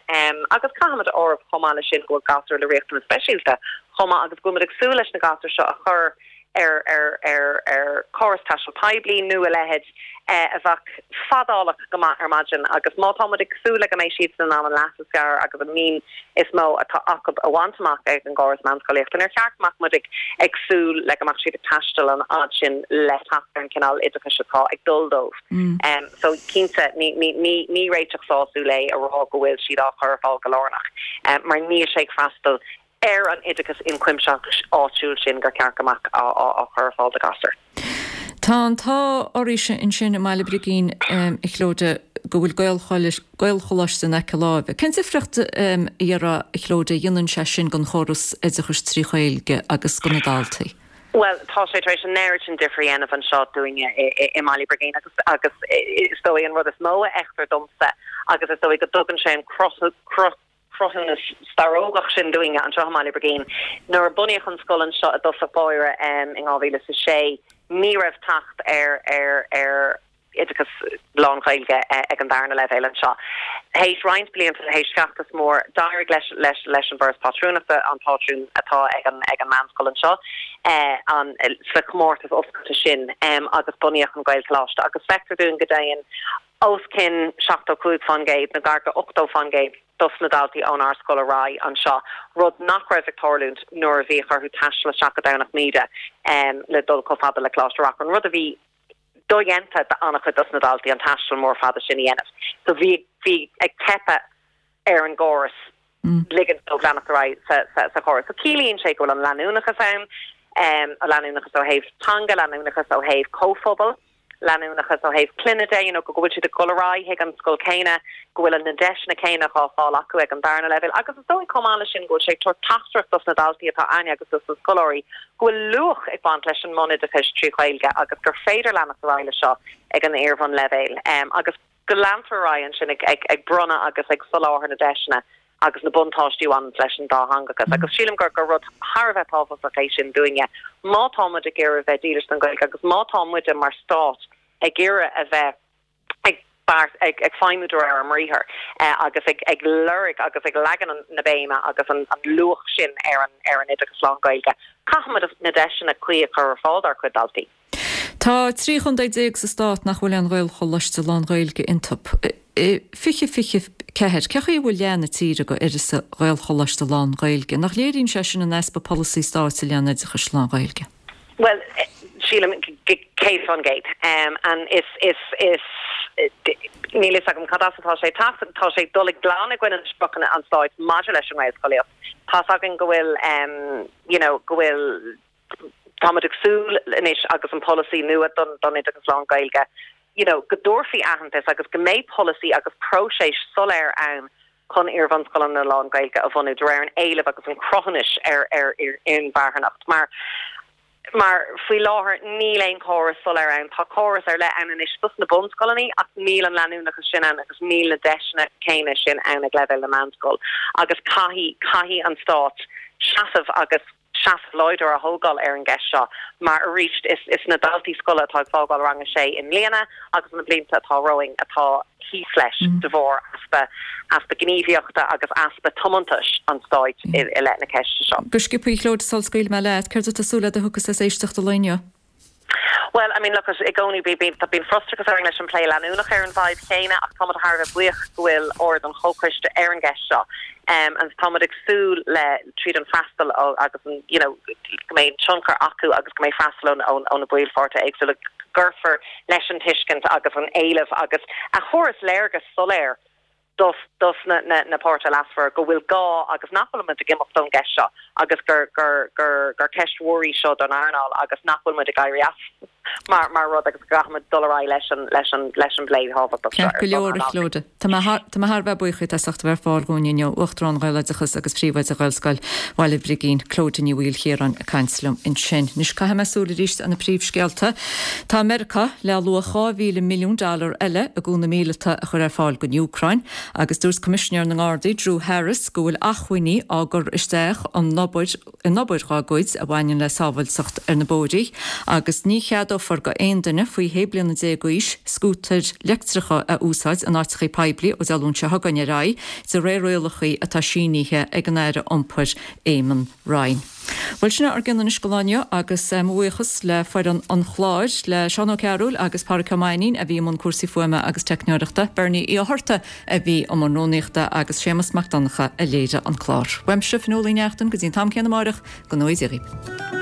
Agus caithfimid a áireamh chomh maith leis sin go bhfuil gasúir le riachtanais speisialta chomh maith agus go bhfuil muid ag súil leis na gasúir seo a chur ar ar ar ar chóras taistil poiblí nó a leithéid a bheadh fadálach go maith ar maidin agus má tá muid ag súil le go mbeidh siadsan in ann an leas is fearr agus an mian is mó atá acu a bhaint amach ag an gcóras meánscolaíochta, níor cheart go mbeadh muid ag ag súil le go mbeadh siad ag taisteal an fhad sin le teacht ar an cineál oideachais atá ag dul dóibh. So cinnte ní ní ní ní réiteach sásúil é a rá go bhfuil siad á chur ar fáil go lárnach mar níl sé ag freastal ar an oideachas ionchuimsitheach áitiúil sin gur ceart go mbeadh á chur ar fáil do ghasúir. Tá an t-ádh oraibhse ansin i mBaile Brigín, a Chlodagh, go bhfuil Gaelcholáiste in aice láimhe. Cén difríocht, a déarfá, a Chlodagh, a dhéanann sé sin don chóras oideachais trí Ghaeilge agus do na daltaí? Bhuel, tá sé tar éis an oiread sin difir a dhéanamh anseo dúinne i mBaile Brigín agus agus is dóigh an rud is mó a fheictear domsa agus is dóigh go dtugann sé an cruth cruthúnas starógach sin dúinne anseo i mBaile Brigín. Nuair a bunaíodh an scoil anseo i dtosach báire in 2006, ní raibh teacht ar ar ar. Oideachas lán-Ghaeilge ag an darna leibhéal anseo. Théis roinnt blianta, théis feachtas mór, d'éirigh leis leis leis an bhForas Pátrúnachta an pátrún atá ag an ag an meánscoil anseo an sa chomórtas oscailte sin agus bunaíodh an Gaelcholáiste agus feictear dúinn go dtéann os cionn 75% nó gar go 80% dos na daltaí ónár scoil ar aghaidh anseo, rud nach raibh ag tarlúint nuair a bhíodh orthu taisteal isteach go Domhnach Míde le dul chomh fada le Coláiste Reachrann, rud a bhí dodhéanta d'an-chuid dos na daltaí an taisteal mór fada sin a dhéanamh. So bhí bhí ag teipeadh ar an gcóras ligint dóibh leanacht ar aghaidh sa sa sa chóras. So ciallaíonn sé go bhfuil an leanúnachas ann, an leanúnachas ó thaobh teanga, leanúnachas ó thaobh comhphobail, leanúnachas ó thaobh clainne de, you know, go bhfuil siad ag dul ar aghaidh chuig an scoil céanna, go bhfuil na deiseanna céanna dhá fáil acu ag an darna leibhéal agus is dóigh chomh maith leis sin go bhfuil sé ag tabhairt teachtaireacht dos na daltaí atá a'ainne agus dos na scoláirí go bhfuil luach ag baint leis an mbunoideachas trí Ghaeilge agus gur féidir leanacht ar aghaidh leis seo ag an iarbhunleibhéal agus go leantar ar aghaidh ansin ag bronnadh agus ag soláthar na deiseanna agus na buntáistí a bhaineanns leis an dátheangachas. Agus sílim gur gur rud thar a bheith tábhachtach é sin dúinne má tá muid ag iarraidh bheith dílis don Ghaeilge agus má tá muide mar stát ag iarraidh a bheith ag beart, ag ag feidhmiú de réir ár mbriathar agus ag ag lorg agus ag leagan an na béime agus an an luach sin ar an ar an oideachas lán-Ghaeilge. Caithfimid na deiseanna cuí a chur ar fáil dár gcuid daltaí. Tá 13 chontae sa stát nach bhfuil aon Ghaelcholáiste lán-Ghaeilge iontu. I 2024, cé chaoi a bhfuil leath na tíre d'uireasa Ghaelcholáiste lán-Ghaeilge? Nach léiríonn sé sin an easpa polasaí stáit i leith an oideachais lán-Ghaeilge? Bhuel, sílim 100%. And is, is, is, níl fhios agam cad as atá sé ag teacht, tá sé ag dul i glan i gcoinne na spriocanna an stáit maidir leis an nGaelscolaíocht. Tá's againn go bhfuil, you know, go bhfuil, Táimid ag súil anois agus an polasaí nua don oideachas lán-Ghaeilge, you know, go dtabharfaí aitheantas agus go mbeidh polasaí agus próiseas soiléir ann chun iarbhunscoileanna lán-Ghaeilge a bhunú de réir an éilimh agus an cruthúnais ar ar inmharthanacht. Mar mar faoi láthair níl aon chóras soiléir ann. Tá córas ar leith ann anois dos na bunscoileanna ach níl an leanúnachas sin ann agus níl na deiseanna céanna sin ann ag leibhéal na meánscol agus caithfidh caithfidh an stát seasamh agus seasamh láidir a thógáil ar an gceist seo mar arís is is na daltaí scoile atá ag fágáil rang a sé i mbliana agus na blianta atá romhainn atá thíos leis de bharr easpa easpa gníomhaíochta agus easpa tiomantais an stáit i i leith na ceiste seo. Go sciobtha, a Chlóide, sul scaoilfidh mé leat, céard atá súil agat a thiocfas as éisteacht an lae inniu? Bhuel, I mean, look, i gcónaí bíonn frustrachas orainn leis an bplé leanúnach ar an bhfadhb chéanna ach táimid thar a bheith buíoch go bhfuil aird an chomhchoiste ar an gceist seo and táimid ag súil le tríd an freastal agus an, you know, go mbeidh tionchar acu agus go mbeidh freastal ó na baill pháirtithe éagsúla go gcuirfear leis an tuiscint agus an éileamh agus a thabharfas léargas soiléir dos dos na na páirtithe leasmhara go bhfuil gá agus nach bhfuil muid ag imeacht ón gceist seo agus gur gur gur gur ceist mhór í seo don earnáil agus nach bhfuil muid ag éirí as mar mar rud agus go gcaithfidh muid dul ar aghaidh leis an leis an leis an bplé thábhachtach seo Ceart go leor, a Chlóide. Tá mé thar tá mé thar a bheith buíoch díot as ucht a bheith ar fáil dhúinn inniu. Uachtarán Ghaeloideachas agus Príomhoide Ghaelscoil Bhaile Brigín, Clóide Ní Mhaoilchiaráin ag caint liom ansin. Anois caithfidh mé súil arís ar na príomhscéalta. Tá Meiriceá le luach 2,000 milliún dollar eile i gcúnamh míleata a chur ar fáil don Úcráin agus dúirt Coimisinéir na nGardaí Drew Harris go bhfuil acmhainní á gcur isteach in obair in obair dhá gcuid a bhaineann le sábháilteacht ar na bóithrí agus ní cheadófar go aon duine faoi shé bliana déag d'aois scútair leictreacha a úsáid in áiteachaí poiblí ó Dé Luain seo chugainn ar aghaidh de réir rialachaí atá sínithe ag an Aire Iompair Eamon Ryan. Bhuel, sin é ár gcion anois don lá inniu agus mo bhuíochas le foireann an chláir, le Seán Ó Cearúil agus Pádraic Ó Mainnín a bhí i mbun cúrsaí fuaime agus teicneoireachta, Bernie Uí Fhátharta a bhí i mbun rúnaíochta agus Séamus Mac Donncha a léirigh an clár. Uaimse, Fionnuala Uí Neachtain, go dtí an t-am céanna amáireach, go ngnóthaí Dia dhaoibh.